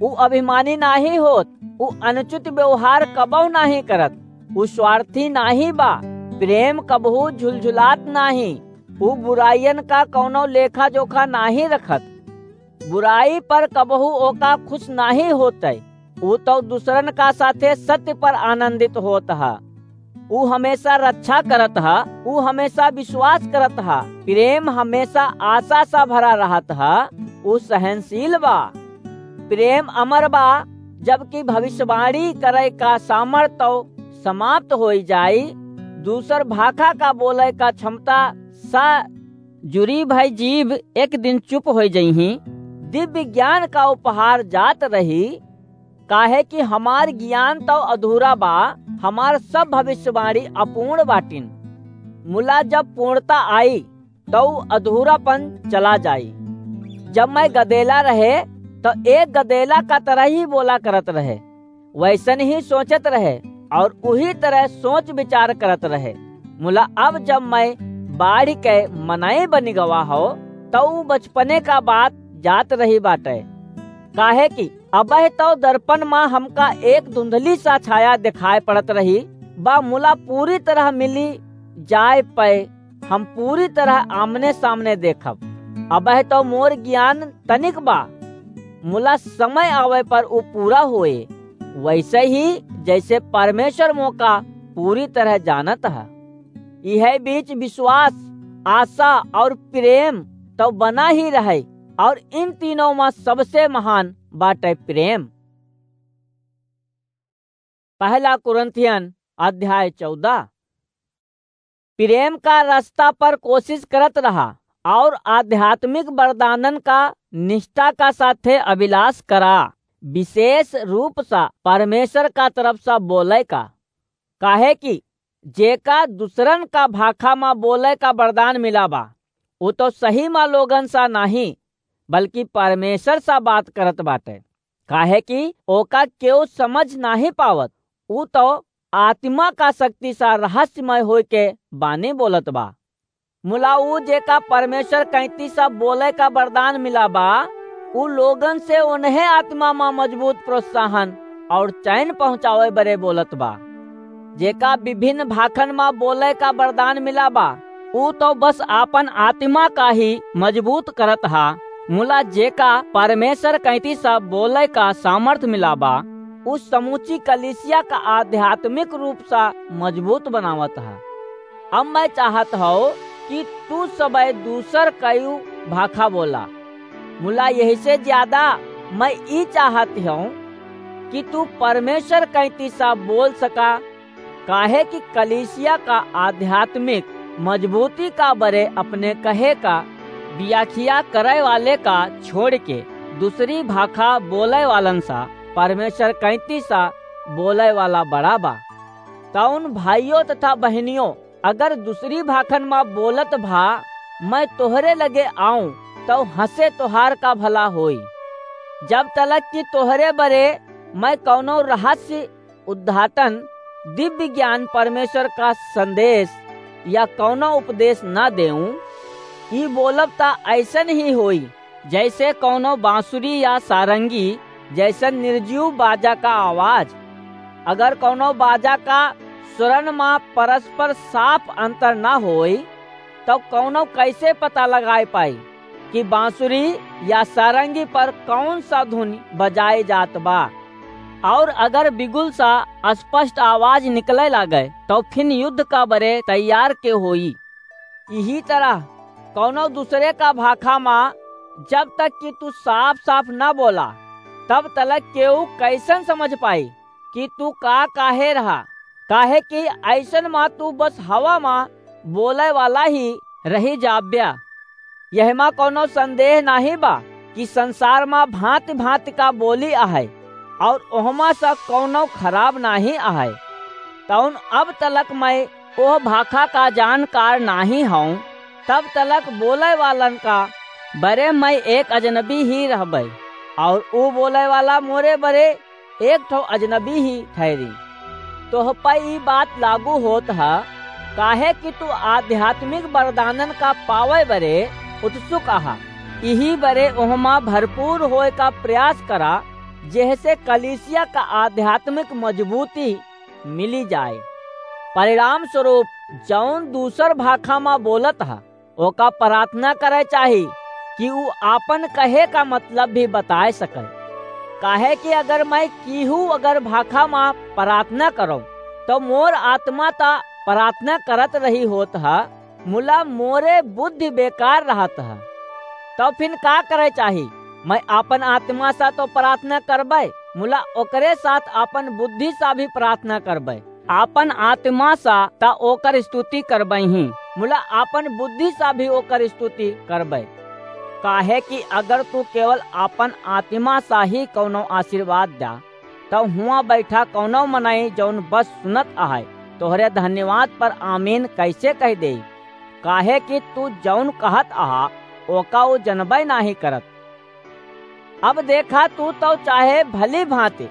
उ अभिमानी नाहीं होत, उ अनुचित व्यवहार कबहु नाहीं करत, उ स्वार्थी नाहीं बा, प्रेम कबहु झुलझुलात नाहीं, उ बुराइयन का कौनो लेखा जोखा नाहीं रखत, बुराई पर कबहु ओका खुश नाहीं होतै। उ तौ दूसरन का साथे सत्य पर आनंदित होत ह। उ हमेशा रक्षा करत ह, उ हमेशा विश्वास करत ह। प्रेम हमेशा आशा सा भरा रहत ह, उ सहनशील बा। प्रेम अमर बा, जबकि भविष्यवाणी करे का सामर्थ तौ समाप्त होई जाई, दूसर भाखा का बोले का क्षमता सा जुरी भई जीभ एक दिन चुप होइ जइहीं। दिव्य ज्ञान का उपहार जात रही, काहे कि हमार ज्ञान तौ अधूरा बा, हमार सब भविष्यवाणी अपूर्ण बाटिन। मुला जब पूर्णता आई, तौ अधूरापन चला जाई। जब मैं गदेला रहे, तौ एक गदेला का तरह ही बोला करत रहे, वैसन ही सोचत रहे, और उही तरह सोच विचार करत रहे। मुला अब जब मैं बाढ़ के मनई बनि गवा हो, तो उ बचपने का बात जात रही बाटे। काहे कि अबह तो दर्पण मा हमका एक धुंधली सा छाया दिखाई पड़त रही बा, मुला पूरी तरह मिली जाए पे हम पूरी तरह आमने सामने देखब। अबह तो मोर ज्ञान तनिक बा, मुला समय आवे पर उ पूरा होए, वैसे ही जैसे परमेश्वर मोका पूरी तरह जानत है। यह बीच विश्वास, आशा और प्रेम तो बना ही रहे, और इन तीनों में सबसे महान बाटे प्रेम। पहला कुरिन्थियन अध्याय चौदह। प्रेम का रास्ता पर कोशिश करत रहा और आध्यात्मिक वरदानन का निष्ठा का साथे अभिलाष करा, विशेष रूप सा परमेश्वर का तरफ सा बोले का। काहे कि जेका दूसरन का भाखा मा बोले का वरदान मिला बा, उ तो सही मा लोगन सा नाही, बल्कि परमेश्वर सा बात करत बाटे। काहे कि ओका केहू समझ नाही पावत, उ तो आत्मा का शक्ति सा रहस्यमय होय के बानी बोलत बा। मुला उ जेका परमेश्वर कैंती सा बोले का वरदान मिला बा, उ लोगन से उन्हें आत्मा मा मजबूत प्रोत्साहन और चैन पहुँचावे बरे बोलत बा। जेका विभिन्न भाखन मा बोले का वरदान मिला बा, उ तो बस आपन आत्मा का ही मजबूत करत हा, मुला जेका परमेश्वर कैंती सा बोले का सामर्थ मिला बा, उ समूची कलीसिया का आध्यात्मिक रूप सा मजबूत बनावत हा। अब मैं चाहत हौ कि तू सबे दूसर कयू भाखा बोला, मुला यही से ज्यादा मैं ई चाहत हौ कि तू परमेश्वर कैंती सा बोल सका, काहे कि कलीसिया का आध्यात्मिक मजबूती का बरे अपने कहे का व्याख्या करे वाले का छोड़ के दूसरी भाखा बोले वालन सा परमेश्वर कैंती सा बोले वाला बड़ा बा। तौन भाइयों तथा बहनियों, अगर दूसरी भाखन मा बोलत भा मैं तोहरे लगे आऊं, तौ हंसे तोहार का भला होई। जब तलक कि तोहरे बरे मैं कौनो रहस्य उद्घाटन, दिव्य ज्ञान, परमेश्वर का संदेश या कौनो उपदेश न देऊं, ई बोलब त ऐसन ही होई, जैसे कौनो बांसुरी या सारंगी जैसन निर्जीव बाजा का आवाज। अगर कौनो बाजा का स्वरन मा परस्पर साफ अंतर न होई, तो कौनो कैसे पता लगाए पाई कि बांसुरी या सारंगी पर कौन सा धुन बजाए जात बा? और अगर बिगुल सा स्पष्ट आवाज निकले लागे, तो फिन युद्ध का बरे तैयार के होई। यही तरह कौनो दूसरे का भाखा मा जब तक कि तू साफ साफ न बोला, तब तलक केहू कैसन समझ पाई कि तू का काहे रहा? काहे कि ऐसन मा तू बस हवा मा बोले वाला ही रही जाब्या। यहमा कौनो संदेह नाही बा कि संसार मा भांति भांति का बोली आहे और ओहमा सा कौनो खराब नाही आहे। तौन अब तलक मैं ओह भाखा का जानकार नाही हौं, तब तलक बोले वालन का बरे मैं एक अजनबी ही रहबै, और ऊ बोले वाला मोरे बरे एक ठो अजनबी ही ठहरी। तोह पे ई बात लागू होत ह, काहे कि तू आध्यात्मिक वरदानन का पावे बरे उत्सुक आहा। इही बरे ओहमा भरपूर होए का प्रयास करा, जेहसे कलीसिया का आध्यात्मिक मजबूती मिली जाए। परिणाम स्वरूप जौन दूसर भाखा मा बोलत ह, ओका प्रार्थना करे चाही कि ऊ आपन कहे का मतलब भी बताए सके। काहे कि अगर मैं कीहू अगर भाखा मा प्रार्थना करो, तो मोर आत्मा ता प्रार्थना करत रही होत ह, मुला मोरे बुद्धि बेकार रहत ह। तो फिन का करे चाही? मैं आपन आत्मा सा तो प्रार्थना करबै, मुला ओकरे साथ आपन बुद्धि सा भी प्रार्थना करबै। आपन आत्मा सा त ओकर स्तुति करबै ही, मुला आपन बुद्धि सा भी ओकर स्तुति करबै। काहे कि अगर तू केवल आपन आत्मा सा ही कौनो आशीर्वाद द्या, त हुआं बैठा कौनो मनई जौन बस सुनत आहे, तोहरे धन्यवाद पर आमीन कैसे कह देई? काहे कि तू जौन कहत आहा, ओका ऊ जनबै नाही करत। अब देखा, तू तो चाहे भली भांति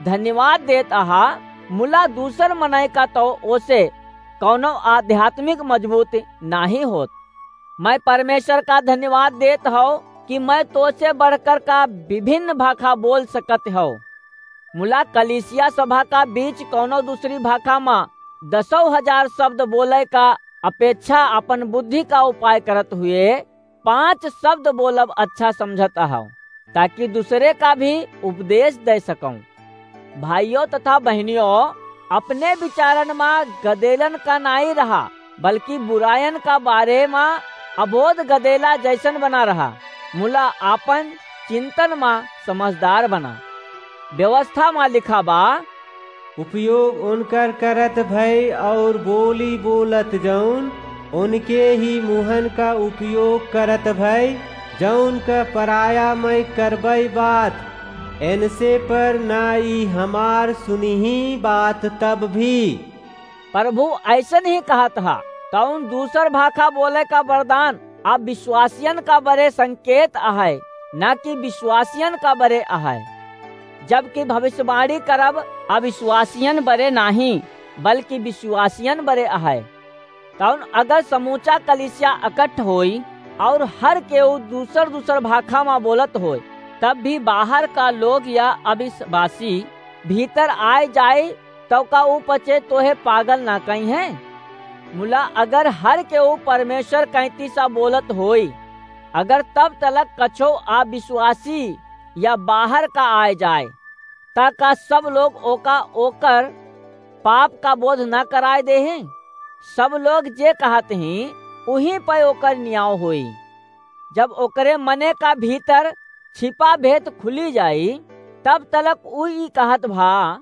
धन्यवाद देत आहा, मुला दूसर मनई का तो ओसे कौनो आध्यात्मिक मजबूत नाहीं होत। मैं परमेश्वर का धन्यवाद देत हौ कि मैं तोसे बढ़कर का विभिन्न भाखा बोल सकत हौ। मुला कलीसिया सभा का बीच कौनो दूसरी भाखा मा दसौ हजार शब्द बोले का अपेक्षा अपन बुद्धि का उपाय करत हुए पाँच शब्द बोलब अच्छा समझत हौ, ताकि दूसरे का भी उपदेश दे सकौं। भाइयों तथा बहनियों, अपने विचारन मा गदेलन का नाई रहा, बल्कि बुरायन का बारे मा अबोध गदेला जैसन बना रहा। मुला आपन चिंतन मा समझदार बना। व्यवस्था मा लिखा बा, उपयोग उनकर करत भय और बोली बोलत जौन उनके ही मुहन का उपयोग करत भय, जौन का पराया मैं करबई बात, इनसे पर ना ई हमार सुनिही बात तब भी। प्रभु ऐसन ही कहत हा, कौन दूसर भाखा बोले का वरदान अविश्वासियन का बरे संकेत अहै, ना कि विश्वासियन का बरे अहै। जबकि भविष्यवाणी करब अविश्वासियन बरे नाहीं, बल्कि विश्वासियन बरे अहै। तौन अगर समूचा कलीसिया अकट्ठ होई और हर केहू दूसर दूसर भाखा मा बोलत होय, तब भी बाहर का लोग या अविश्वासी भीतर आए जाए, तौ का ऊ पचे तोहे पागल ना कहिहैं? मुला अगर हर केहू परमेश्वर कैंती सा बोलत होई, अगर तब तलक कछो अविश्वासी या बाहर का आए जाए, ता का सब लोग ओका ओकर पाप का बोध न कराए देहें? सब लोग जे कहत हीं, उहीं पे ओकर नियाव होई। जब ओकरे मने का भीतर छिपा भेद खुली जाई, तब तलक ऊ ई कहत भा,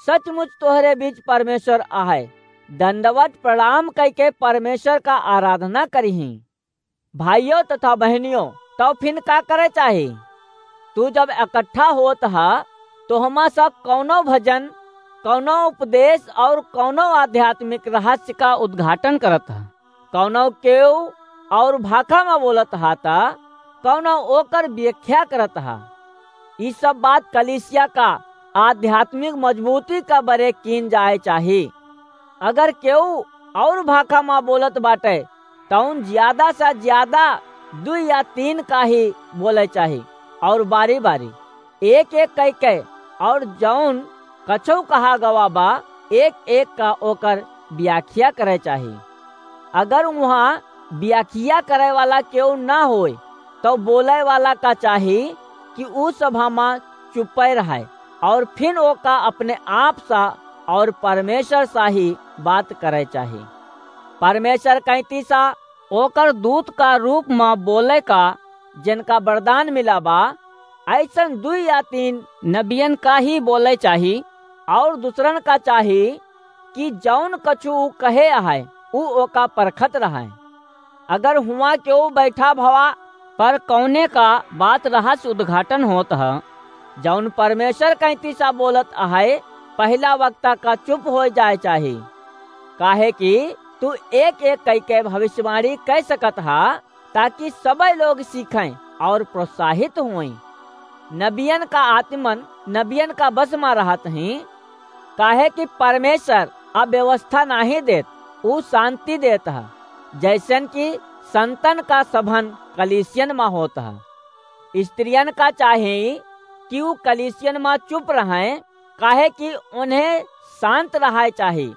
"सचमुच तोहरे बीच परमेश्वर आहे।" दंडवत प्रणाम कइके परमेश्वर का आराधना करिहीं। भाइयों तथा बहनियों, तौ फिन का करे चाही? तू जब इकट्ठा होत ह, तो हमा सब कौनो भजन, कौनो उपदेश और कौनो आध्यात्मिक रहस्य का उद्घाटन करत ह। कौनो केव और भाखा में बोलत ह, त कौनो ओकर व्याख्या करत ह। ई सब बात कलीसिया का आध्यात्मिक मजबूती का बरे कीन जाए चाही। अगर केहू और भाखा मा बोलत बाटे, तौन ज्यादा से ज्यादा दुई या तीन का ही बोले चाही, और बारी-बारी, एक-एक कइके, और जौन कछो कहा गवा बा, एक-एक का ओकर व्याख्या करे चाही। अगर उहाँ व्याख्या करे वाला केहू ना होय, तो बोले वाला का चाही कि ऊ सभा मा चुप्पे रहे और फिर ओका अपने आप सा और परमेश्वर सा ही बात करे चाही। परमेश्वर कैंती सा ओकर दूत का रूप मा बोले का जिनका वरदान मिला बा, ऐसन दुई या तीन नबियन का ही बोले चाही और दूसरन का चाही कि जौन कछु ऊ कहे आहे, ऊ ओका परखत रहे। अगर हुआं केहू बैठा भवा पर कौने का बात रहस्य उद्घाटन होत ह, जौन परमेश्वर कैंती सा बोलत आहे, पहिला वक्ता का चुप हो जाए चाही, काहे कि तू एक-एक कइके भविष्यवाणी कह सकत ह, ताकि सबे लोग सीखें और प्रोत्साहित होएं। नबियन का आत्मन नबियन का बस मा रहत हीं, काहे कि परमेश्वर अव्यवस्था नाहीं देत, ऊ शांति देत ह, जैसन कि संतन का सभन कलीसियन मा होत ह। स्त्रियन का चाही कि ऊ कलीसियन मा चुप रहें, काहे कि उन्हें शांत रहाए चाही,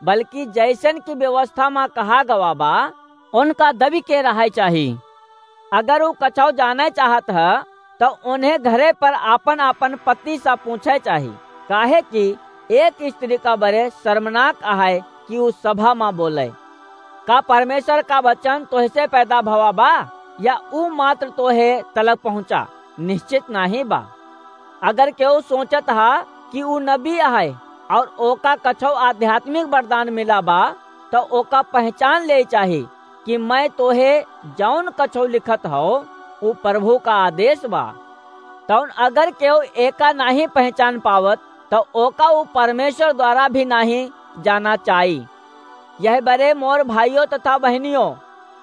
बल्कि जैसन कि व्यवस्था मा कहा गवा बा, उनका दबी के रहाए चाही। अगर ऊ कछौ जाने चाहत ह, तो उन्हें घरे पर आपन-आपन पति सा पूछे चाही, काहे कि एक स्त्री का बरे शर्मनाक आहे कि ऊ सभा मा बोले। का परमेश्वर का वचन तोहसे पैदा भवा बा, या ऊ मात्र तोहे तलक पहुँचा? निश्चित नाहीं बा। अगर केहू सोचत ह कि ऊ नबी आहे और ओका कछौ आध्यात्मिक वरदान मिला बा, तो ओका पहचान ले चाही कि मैं तोहे जौन कछौ लिखत हौ, ऊ प्रभु का आदेश बा। तौन अगर केहू एका नाहीं पहचान पावत, तो ओका ऊ परमेश्वर द्वारा भी नाहीं जाना चाही। यह बरे मोर भाइयों तथा बहनियों,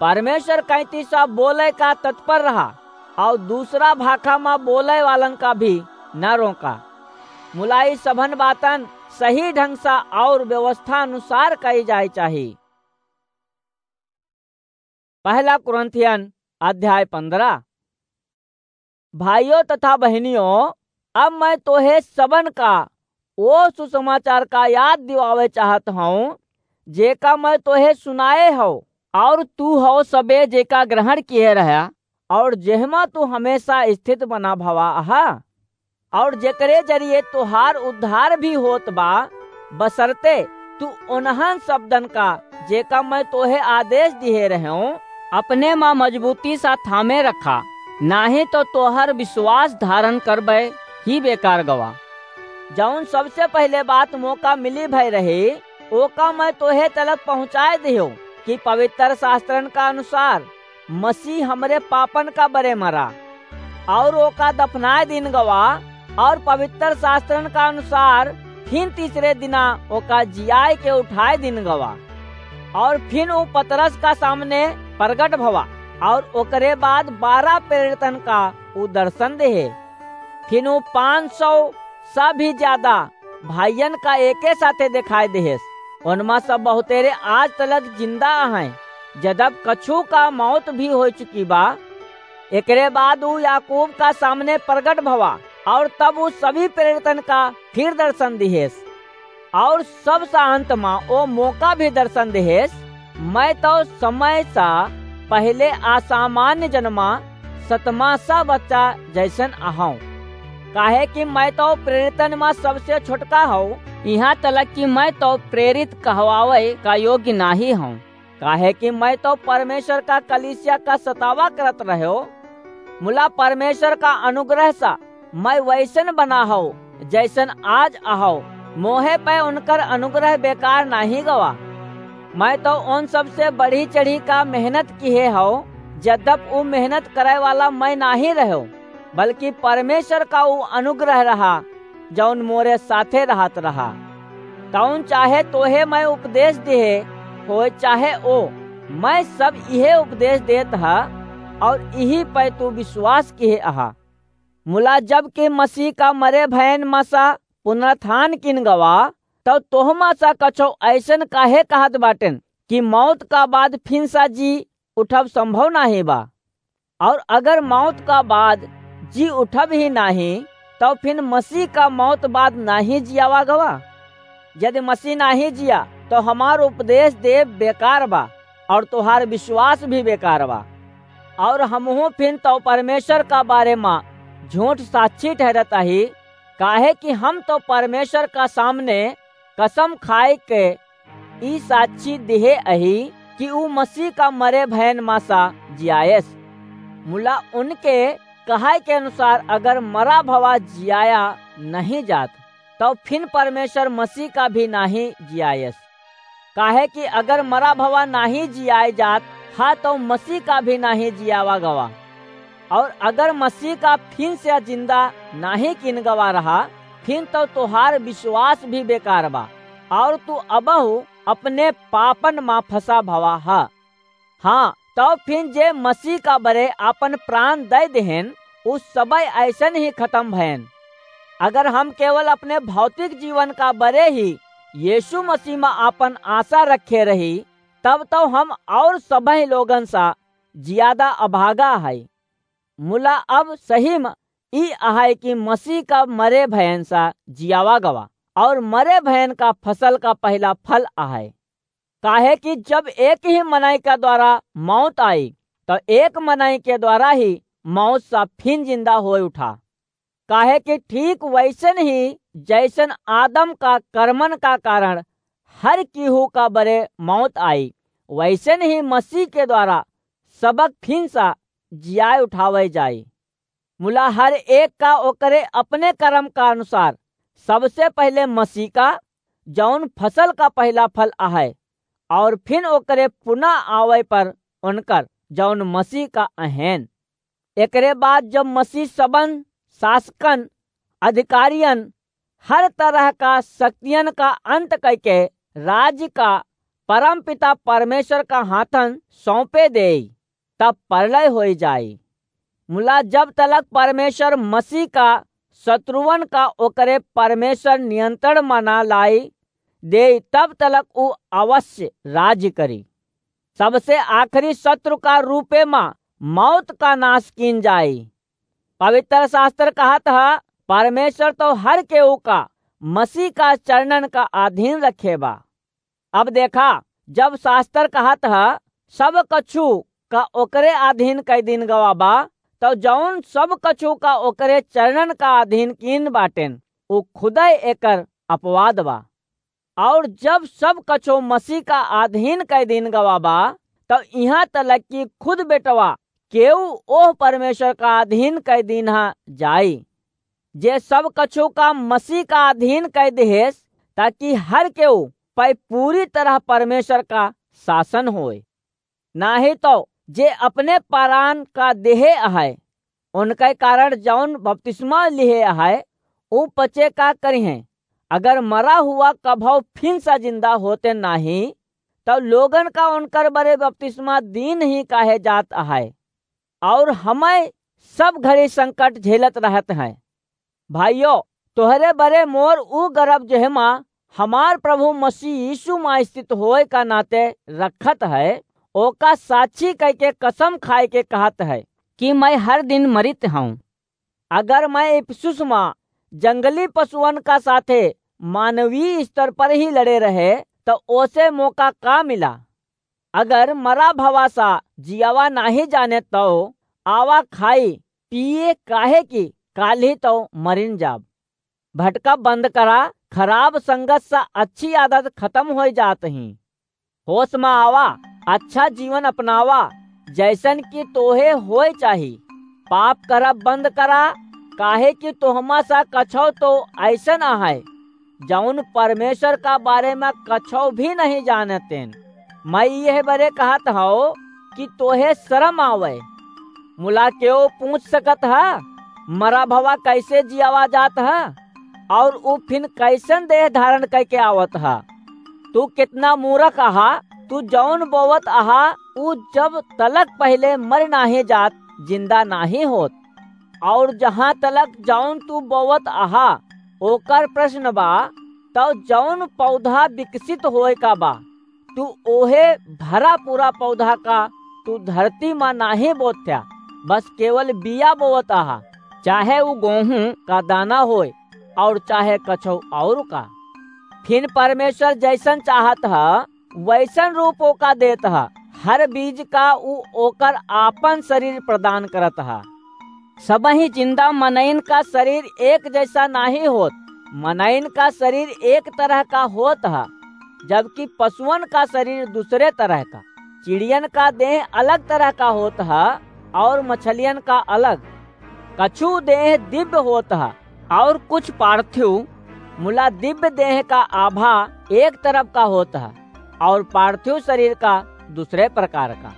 परमेश्वर कैंती सा बोले का तत्पर रहा और दूसरा भाखा मा बोले वालन का भी न रोका। मुला ई सभन बातन सही ढंग से और व्यवस्था अनुसार कई जाए चाही। पहला कुरिन्थियन अध्याय पन्द्रह। भाइयों तथा बहनियों, अब मैं तोहे सबन का ओ सुसमाचार का याद दिवावे चाहत हूँ, जेका मैं तोहे सुनाए हौ, और तू हौ सबे जेका ग्रहण किए रहा, और जेहमा तू हमेशा स्थित बना भवा अहा, और जेकरे जरिए तोहार उद्धार भी होत बा, बशर्ते तू उन्हन शब्दन का, जेका मैं तोहे आदेश दिहे रहे हूँ, अपने मा मजबूती सा थामे रखा, नाही तो तोहर विश्वास धारण करबे ही बेकार गवा। जौन सबसे पहले बात मोका मिली भय रही, ओका मैं तोहे तलक पहुँचाए दियो कि पवित्र शास्त्रन का अनुसार मसीह हमरे पापन का बरे मरा, और ओका दफनाए दिन गवा, और पवित्र शास्त्रन का अनुसार फिन तीसरे दिना ओका जियाए के उठाए दिन गवा। और फिन ऊ पतरस का सामने प्रगट भवा, और ओकरे बाद बारह प्रेरितन का ऊ दर्शन देहे। फिन ऊ पाँच सौ से भी ज्यादा भाइयन का एके साथे देखाए देहेस। उनमा से बहुतेरे आज तलक जिंदा अहैं, जदब कछु का मौत भी हो चुकी बा। एकरे बाद ऊ याकूब का सामने प्रगट भवा, और तब ऊ सभी प्रेरितन का फिर दर्शन दिहेस, और सबसे अंत मा ओ मोका भी दर्शन दिहेस। मैं तो समय सा पहले असामान्य जनमा सतमा सा बच्चा जैसन अहौं, काहे कि मैं तो प्रेरितन मा सबसे छोटका हूँ, यहाँ तलक कि मैं तो प्रेरित कहवावे का योग्य नाही हूँ, काहे कि मैं तो परमेश्वर का कलीसिया का सतावा करत रह्यो। मुला परमेश्वर का अनुग्रह सा मैं वैसन बना हूँ, जैसन आज अहौ। मोहे पे उनकर अनुग्रह बेकार नाही गवा। मैं तो उन सबसे बढ़ी चढ़ी का मेहनत किहे हूँ, जदप ऊ मेहनत करे वाला मैं नाही रह्यो, बल्कि परमेश्वर का ऊ अनुग्रह रहा, जौन मोरे साथे रहत रहा। तौन चाहे तोहे मैं उपदेश दिहे होय, चाहे ओ, मैं सब इहे उपदेश देत हा, और इही पे तू विश्वास किहे अहा। मुला जब कि मसीह का मरे भयन मा सा पुनरुत्थान किन गवा, तब तोहमा सा कछो ऐसन काहे कहत बाटेन कि मौत का बाद फिन सा जी उठब संभव नाही बा? और अगर मौत का बाद जी उठब ही नाही, तो फिन मसीह का मौत बाद नाही जियावा गवा। यदि मसीह नाही जिया, तो हमार उपदेश देब बेकार बा, और तोहार विश्वास भी बेकार बा। और हमहू फिन तो परमेश्वर का बारे मा झूठ साक्षी ठहरत ही, काहे कि हम तो परमेश्वर का सामने कसम खाए के ई साक्षी दिहे अही कि ऊ मसीह का मरे भयन मा सा जियायस। मुला उनके कहाय के अनुसार अगर मरा भवा जियाया नहीं जात, तो फिन परमेश्वर मसीह का भी नाही जियायस। काहे कि अगर मरा भवा नाही जियाय जात हा, तो मसीह का भी नाही जियावा गवा। और अगर मसीह का फिन से जिंदा नाही किन गवा रहा, फिन तो तोहार विश्वास भी बेकार बा, और तू अबहु अपने पापन मा फंसा भवा हा। हाँ, तो फिन जे मसीह का बरे आपन प्राण दे देहेन, उ सबय ऐसन ही खत्म भयन। अगर हम केवल अपने भौतिक जीवन का बरे ही यीशु मसीह मा आपन आशा रखे रही, तब तो हम और सबही लोगन सा ज्यादा अभागा है। मुला अब सही म ई अहै कि मसीह का मरे भयन सा जियावा गवा, और मरे भयन का फसल का पहला फल अहै। काहे कि जब एक ही मनई का द्वारा मौत आई, तो एक मनई के द्वारा ही मौत सा फिन जिंदा होय उठा। काहे कि ठीक वैसन ही जैसन आदम का कर्मन का कारण हर केहू का बरे मौत आई, वैसन ही मसीह के द्वारा सबक फिन सा जियाय उठावे जाई। मुला हर एक का ओकरे अपने कर्म का अनुसार, सबसे पहले मसीह का, जौन फसल का पहला फल अहै, और फिन ओकरे पुनः आवे पर उनकर, जौन मसीह का अहैन। एकरे बाद जब मसीह सबन शासकन, अधिकारियन, हर तरह का शक्तियन का अंत करके राज्य का परमपिता परमेश्वर का हाथन सौंपे देई, तब परलय होई जाई। मुला जब तलक परमेश्वर मसीह का शत्रुवन का ओकरे परमेश्वर नियंत्रण मा ना लाई देई, तब तलक ऊ अवश्य राज्य करी। सबसे आखिरी शत्रु का रूपे मा मौत का नाश कीन जाई। पवित्र शास्त्र कहत ह, परमेश्वर तो हर केहू का मसीह का चरणन का अधीन रखे बा। अब देखा, जब शास्त्र कहत ह, सब कछु का ओकरे अधीन कइ दीन गवा बा, तो जौन सब कछु का ओकरे चरणन का अधीन कीन बाटेन, उ खुदै एकर अपवाद बा। और जब सब कछु मसीह का अधीन कइ दीन गवा बा, तो इहाँ तलक कि खुद बेटवा केहू ओह परमेश्वर का अधीन कइ दीन्हा जाई, जे सब कछु का मसीह का अधीन कइ देहेस, ताकि हर केहू पै पूरी तरह परमेश्वर का शासन होए। नाहीं तो जे अपने परान का देहे अहै, उनके कारण जौन बपतिस्मा लिहे अहै, ऊ पचे का करिहें? अगर मरा हुआ कभौ फिन सा जिंदा होते नाहीं, तब लोगन का उनकर बरे बपतिस्मा दीन ही काहे जात अहै? और हमै सब घड़ी संकट झेलत रहत हैं। भाइयो, तोहरे बरे मोर ऊ गरब जेहमा हमार प्रभु मसीह यीशु मा स्थित होए का नाते रखत है, ओका साक्षी कइके कसम खाए के कहत है कि मैं हर दिन मरित हूँ। अगर मैं इफिसुस मा जंगली पशुअन का साथे मानवीय स्तर पर ही लड़े रहे, तो ओसे मोका का मिला? अगर मरा भवा सा जियावा नाहीं जाने, तो आवा खाई पिए, काहे कि काल्हि तो मरिन जाब। भटका बंद करा, खराब संगत सा अच्छी आदत खत्म होई जात ही। होश मा आवा, अच्छा जीवन अपनावा, जैसन कि तोहे होए चाही। पाप करब बंद करा, काहे कि तोहमा सा कछौ तो ऐसन अहै, जौन परमेश्वर का बारे मा कछौ भी नहीं जानतेन। मैं यह बरे कहत हौ कि तोहे शर्म आवै। मुला केहू पूछ सकत ह, मरा भवा कैसे जियावा जात ह, और ऊ फिन कैसन देह धारण करके आवत ह? तू कितना मूर्ख अहा, तू जौन बोवत अहा, ऊ जब तलक पहले मर नाहीं जात, जिंदा नाहीं होत। और जहाँ तलक जौन तू बोवत अहा, ओकर प्रश्न बा, तौ जौन पौधा विकसित होए का बा, तू ओहे भरा पूरा पौधा का तू धरती मा नाहीं बोथ्या, बस केवल बिया बोवत अहा, चाहे ऊ गोहूँ का दाना होए और चाहे कछौ और का। फिन परमेश्वर जैसन चाहत ह, वैसन रूप ओका देत ह। हर बीज का ऊ ओकर आपन शरीर प्रदान करत ह। सबही जिंदा मनइन का शरीर एक जैसा नाहीं होत। मनइन का शरीर एक तरह का होत ह, जबकि पशुअन का शरीर दूसरे तरह का। चिड़ियन का देह अलग तरह का होत ह और मछलियन का अलग। कछु देह दिव्य होत ह और कुछ पार्थिव, मुला दिव्य देह का आभा एक तरफ का होत ह और पार्थिव शरीर का दूसरे प्रकार का।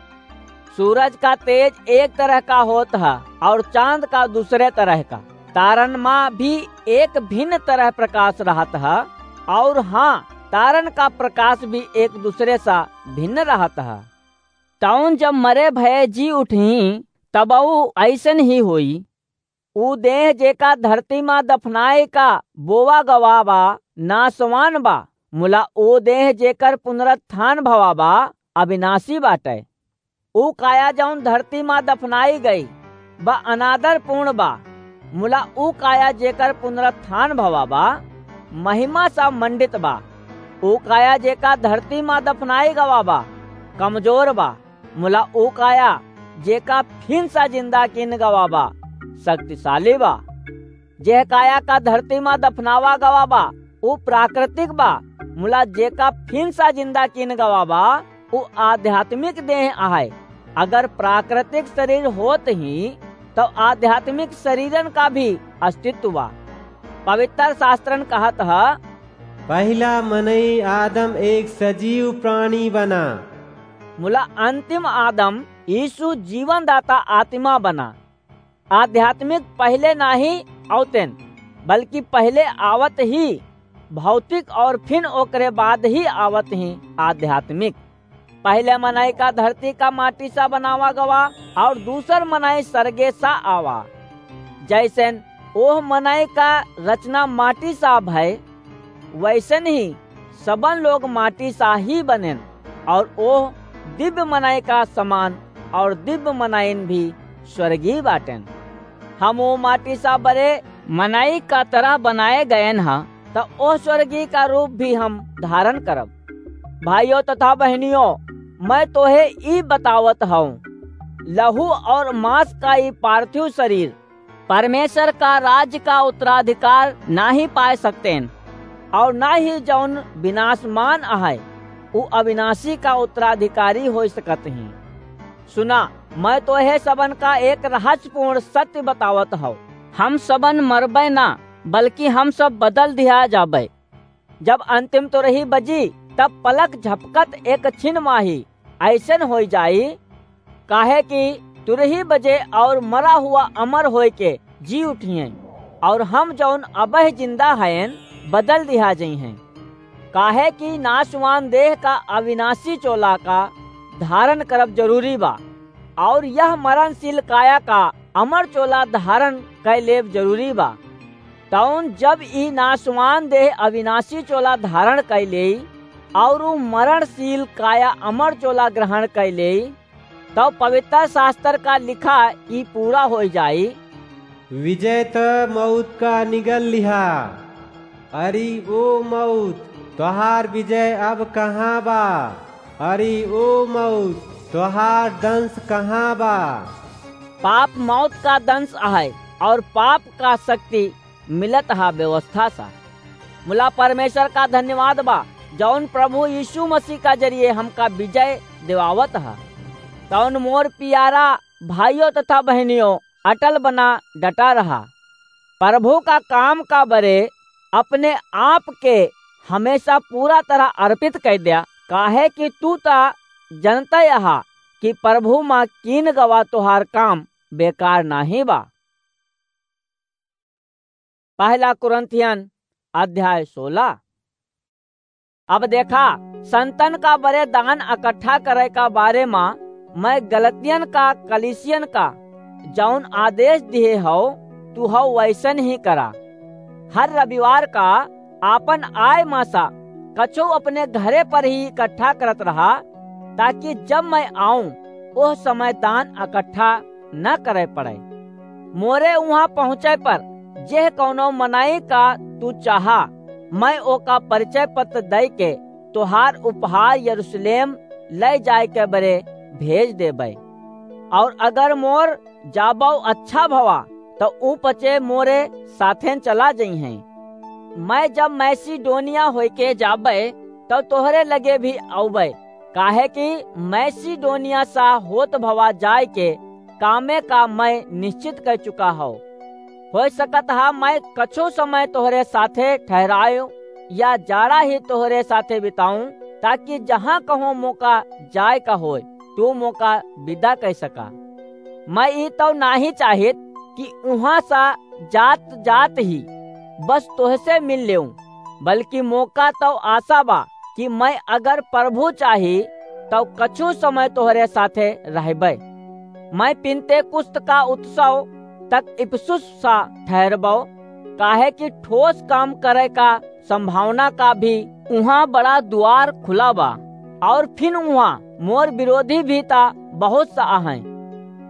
सूरज का तेज एक तरह का होत ह और चांद का दूसरे तरह का। तारन मा भी एक भिन्न तरह प्रकाश रहत ह, और हाँ, तारन का प्रकाश भी एक दूसरे सा भिन्न रहत ह। तौन जब मरे भये जी उठही, तबऊ ऐसन ही होई। ऊ देह जेका धरती मा दफनाए का बोवा गवा बा, नासवान बा, मुला ऊ देह जेकर पुनरुत्थान भवा बा, अविनाशी बाटै। ऊ काया जौन धरती मा दफनाई गई बा, अनादरपूर्ण बा, मुला ऊ काया जेकर पुनरुत्थान भवा बा, महिमा सा मंडित बा। ऊ काया जेका धरती मा दफनाई गवा बा, कमजोर बा, मुला ऊ काया जेका फिन सा जिंदा कीन गवा बा, शक्तिशाली बा। जेह काया का धरती मा दफनावा गवा बा, ऊ प्राकृतिक बा, मुला जेका फिन सा जिंदा कीन गवा बा, ऊ आध्यात्मिक देह आहे। अगर प्राकृतिक शरीर होत ही, तो आध्यात्मिक शरीरन का भी अस्तित्व बा। पवित्र शास्त्रन कहत ह, "पहिला मनई आदम एक सजीव प्राणी बना।" मुला अंतिम आदम यीशु जीवनदाता आत्मा बना। आध्यात्मिक पहिले नाही आवतेन, बल्कि पहिले आवत ही भौतिक और फिन ओकरे बाद ही आवत ही आध्यात्मिक। पहिले मनई का धरती का माटी सा बनावा गवा और दूसर मनई सरगे सा आवा। जैसेन ओह मनई का रचना माटी सा भय, वैसन ही सबन लोग माटी सा ही बनेन, और ओह दिव्य मनई का समान, और दिव्य मनईन भी स्वर्गीय बाटेन। हम ओ माटी सा बरे मनई का तरह बनाए गएन ह, त ओह स्वर्गीय का रूप भी हम धारण करब। भाइयों तथा बहनियों, मैं तोहे ई बतावत हूँ, लहू और मांस का ई पार्थिव शरीर परमेश्वर का राज्य का उत्तराधिकार नाही पाए सकतेन, और ना ही जौन विनाशमान अहै, उ अविनाशी का उत्तराधिकारी हो सकत ही। सुना, मैं तोहे सबन का एक रहस्यपूर्ण सत्य बतावत हूँ, हम सबन मरबै ना, बल्कि हम सब बदल दिया जाबै। जब अंतिम तुरही बजी, तब पलक झपकत एक छिन माही ऐसन होई जाई, काहे कि तुरही बजे और मरा हुआ अमर होय के जी उठिहें, और हम जौन अबह जिंदा हयन, बदल दिहा जइहें। काहे कि नाशवान देह का अविनाशी चोला का धारण करब जरूरी बा, और यह मरणशील काया का अमर चोला धारण कै लेब जरूरी बा। तौन जब ई नाशवान देह अविनाशी चोला धारण कै लेई, और ऊ मरणशील काया अमर चोला ग्रहण कै लेई, तब पवित्र शास्त्र का लिखा ई पूरा हो जाई। विजय त मौत का निगल लिहा। अरे ओ मौत, तोहार विजय अब कहाँ बा? अरे ओ मौत, तोहार दंश कहाँ बा? पाप मौत का दंश अहै, और पाप का शक्ति मिलत हा व्यवस्था सा। मुला परमेश्वर का धन्यवाद बा, जौन प्रभु यीशु मसीह का जरिए हमका विजय दिवावत हा। तौन मोर प्यारा भाइयों तथा बहनियों, अटल बना डटा रहा। प्रभु का काम का बरे अपने आप के हमेशा पूरा तरह अर्पित कर द्या, काहे कि तू ता जनता यहा कि प्रभु मा कीन गवा तोहार काम बेकार नाही बा। पहला कुरिन्थियन अध्याय सोलह। अब देखा, संतन का बरे दान इकट्ठा करे का बारे मा मैं गलतियन का कलीसियन का जौन आदेश दिहे हौ, तू हौ वैसन ही करा। हर रविवार का आपन आय मा सा कछो अपने घरे पर ही इकट्ठा करत रहा, ताकि जब मैं आऊं, ओह समय दान इकट्ठा न करे पड़े। मोरे उहाँ पहुँचे पर जेह कौनो मनई का तू चाहा, मैं ओका परिचय पत्र दई के तोहार उपहार यरूशलेम लै जाए के बरे भेज देबै। और अगर मोर जाबौ अच्छा भवा, त ऊ पचे मोरे साथेन चला जइहें। मैं जब मैसिडोनिया होइके जाबै, तब तोहरे लगे भी अउबै, काहे कि मैसिडोनिया सा होत भवा जाए के कामे का मैं निश्चित कर चुका हौ। हो सकत हा मैं कछु समय तोहरे साथे ठहरायो या जाड़ा ही तोहरे साथे बिताऊं, ताकि जहाँ कहो मोका जाए का होय, तू मोका विदा कर सका। मैं ई तो नाही चाहित कि उहाँ सा जात जात ही बस तोहसे मिल लेऊं, बल्कि मोका तो आशा बा कि मैं अगर प्रभु चाही तो कछु समय तोहरे साथे रहबै। मैं पिन्तेकुस्त का उत्सव तक इफिसुस सा ठहरबौ, काहे कि ठोस काम करे का संभावना का भी उहाँ बड़ा दुआर खुला बा, और फिन उहाँ मोर विरोधी भी ता बहुत सा आहैं।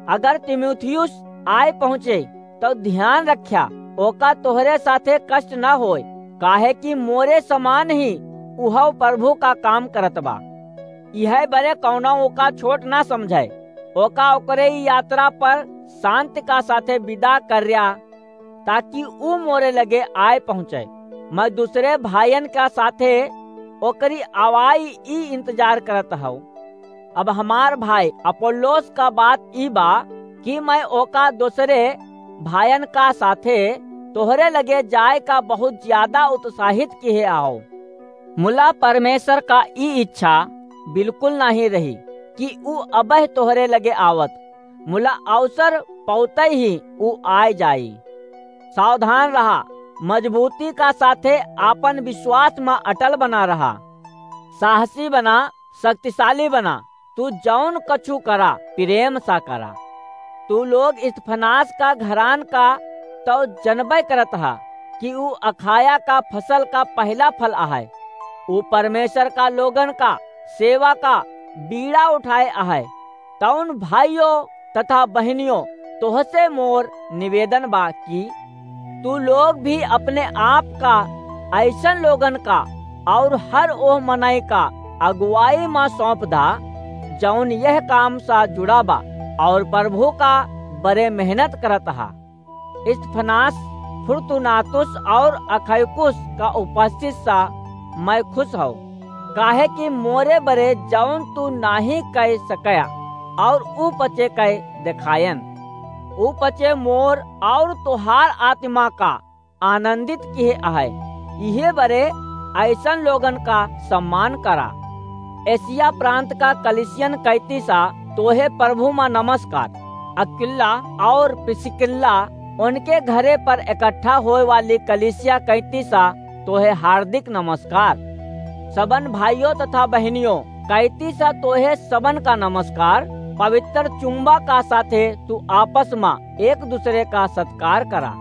अगर तीमुथियुस आए पहुँचे, तो ध्यान रख्या, ओका तोहरे साथे कष्ट न होय, काहे कि मोरे समान ही उहव प्रभु का काम करत बा। इहै बरे कौनो ओका छोट न समझै, ओका ओकरे ई यात्रा पर शांति का साथे विदा कर्या, ताकि ऊ मोरे लगे आए पहुँचे। मैं दूसरे भाइयन का साथे ओकरी आवाई ई इंतजार करत हौ। अब हमार भाई अपोल्लोस का बात ई बा कि मैं ओका दूसरे भाइयन का साथे तोहरे लगे जाए का बहुत ज्यादा उत्साहित किहे आओ। मुला परमेश्वर का ई इच्छा बिल्कुल नाही रही कि ऊ अबह तोहरे लगे आवत, मुला अवसर पौते ही ऊ आए जाई। सावधान रहा, मजबूती का साथे आपन विश्वास मा अटल बना रहा, साहसी बना, शक्तिशाली बना। तू जौन कछु करा, प्रेम सा करा। तू लोग स्तिफनास का घरान का तौ जनबै करत हा कि ऊ अखाया का फसल का पहिला फल अहै। ऊ परमेश्वर का लोगन का सेवा का बीड़ा उठाए अहै। तौन भाइयों तथा बहिनियों, तोहसे मोर निवेदन बा कि तू लोग भी अपने आप का अइसन लोगन का और हर ओह मनई का अगुवाई मा सौंप दा, जौन यह काम सा जुड़ा बा और प्रभु का बरे मेहनत करत हा। स्तिफनास, फुर्तुनातुस और अखैकुस का उपस्थित सा मैं खुश हौ, काहे कि मोरे बरे जौन तू नाहीं कै सकया और ऊ पचे कै देखायन। ऊ पचे मोर और तोहार आत्मा का आनंदित किहे अहै। इहे बरे अइसन लोगन का सम्मान करा। एशिया प्रांत का कलिसियन कैती सा तोहे प्रभु मा नमस्कार। अक्विला और प्रिस्किल्ला उनके घरे पर इकट्ठा होए वाली कलिसिया कैती सा तोहे हार्दिक नमस्कार। सबन भाइयों तथा बहिनियों, कैती सा तोहे सबन का नमस्कार। पवित्र चुम्बा का साथे तू आपस मा एक दूसरे का सत्कार करा।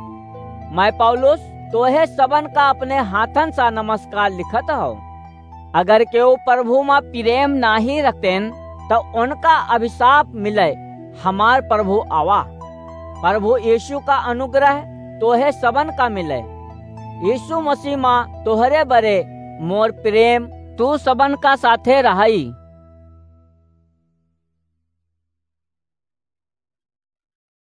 मैं पौलुस तोहे सबन का अपने हाथन सा नमस्कार लिखत हौ। अगर केहू प्रभु मा प्रेम नाहीं रखतेन, तो उनका अभिशाप मिले। हमार प्रभु आवा। प्रभु यीशु का अनुग्रह तोहे सबन का मिले। यीशु मसीह मा तोहरे बरे मोर प्रेम तू सबन का साथे रहई।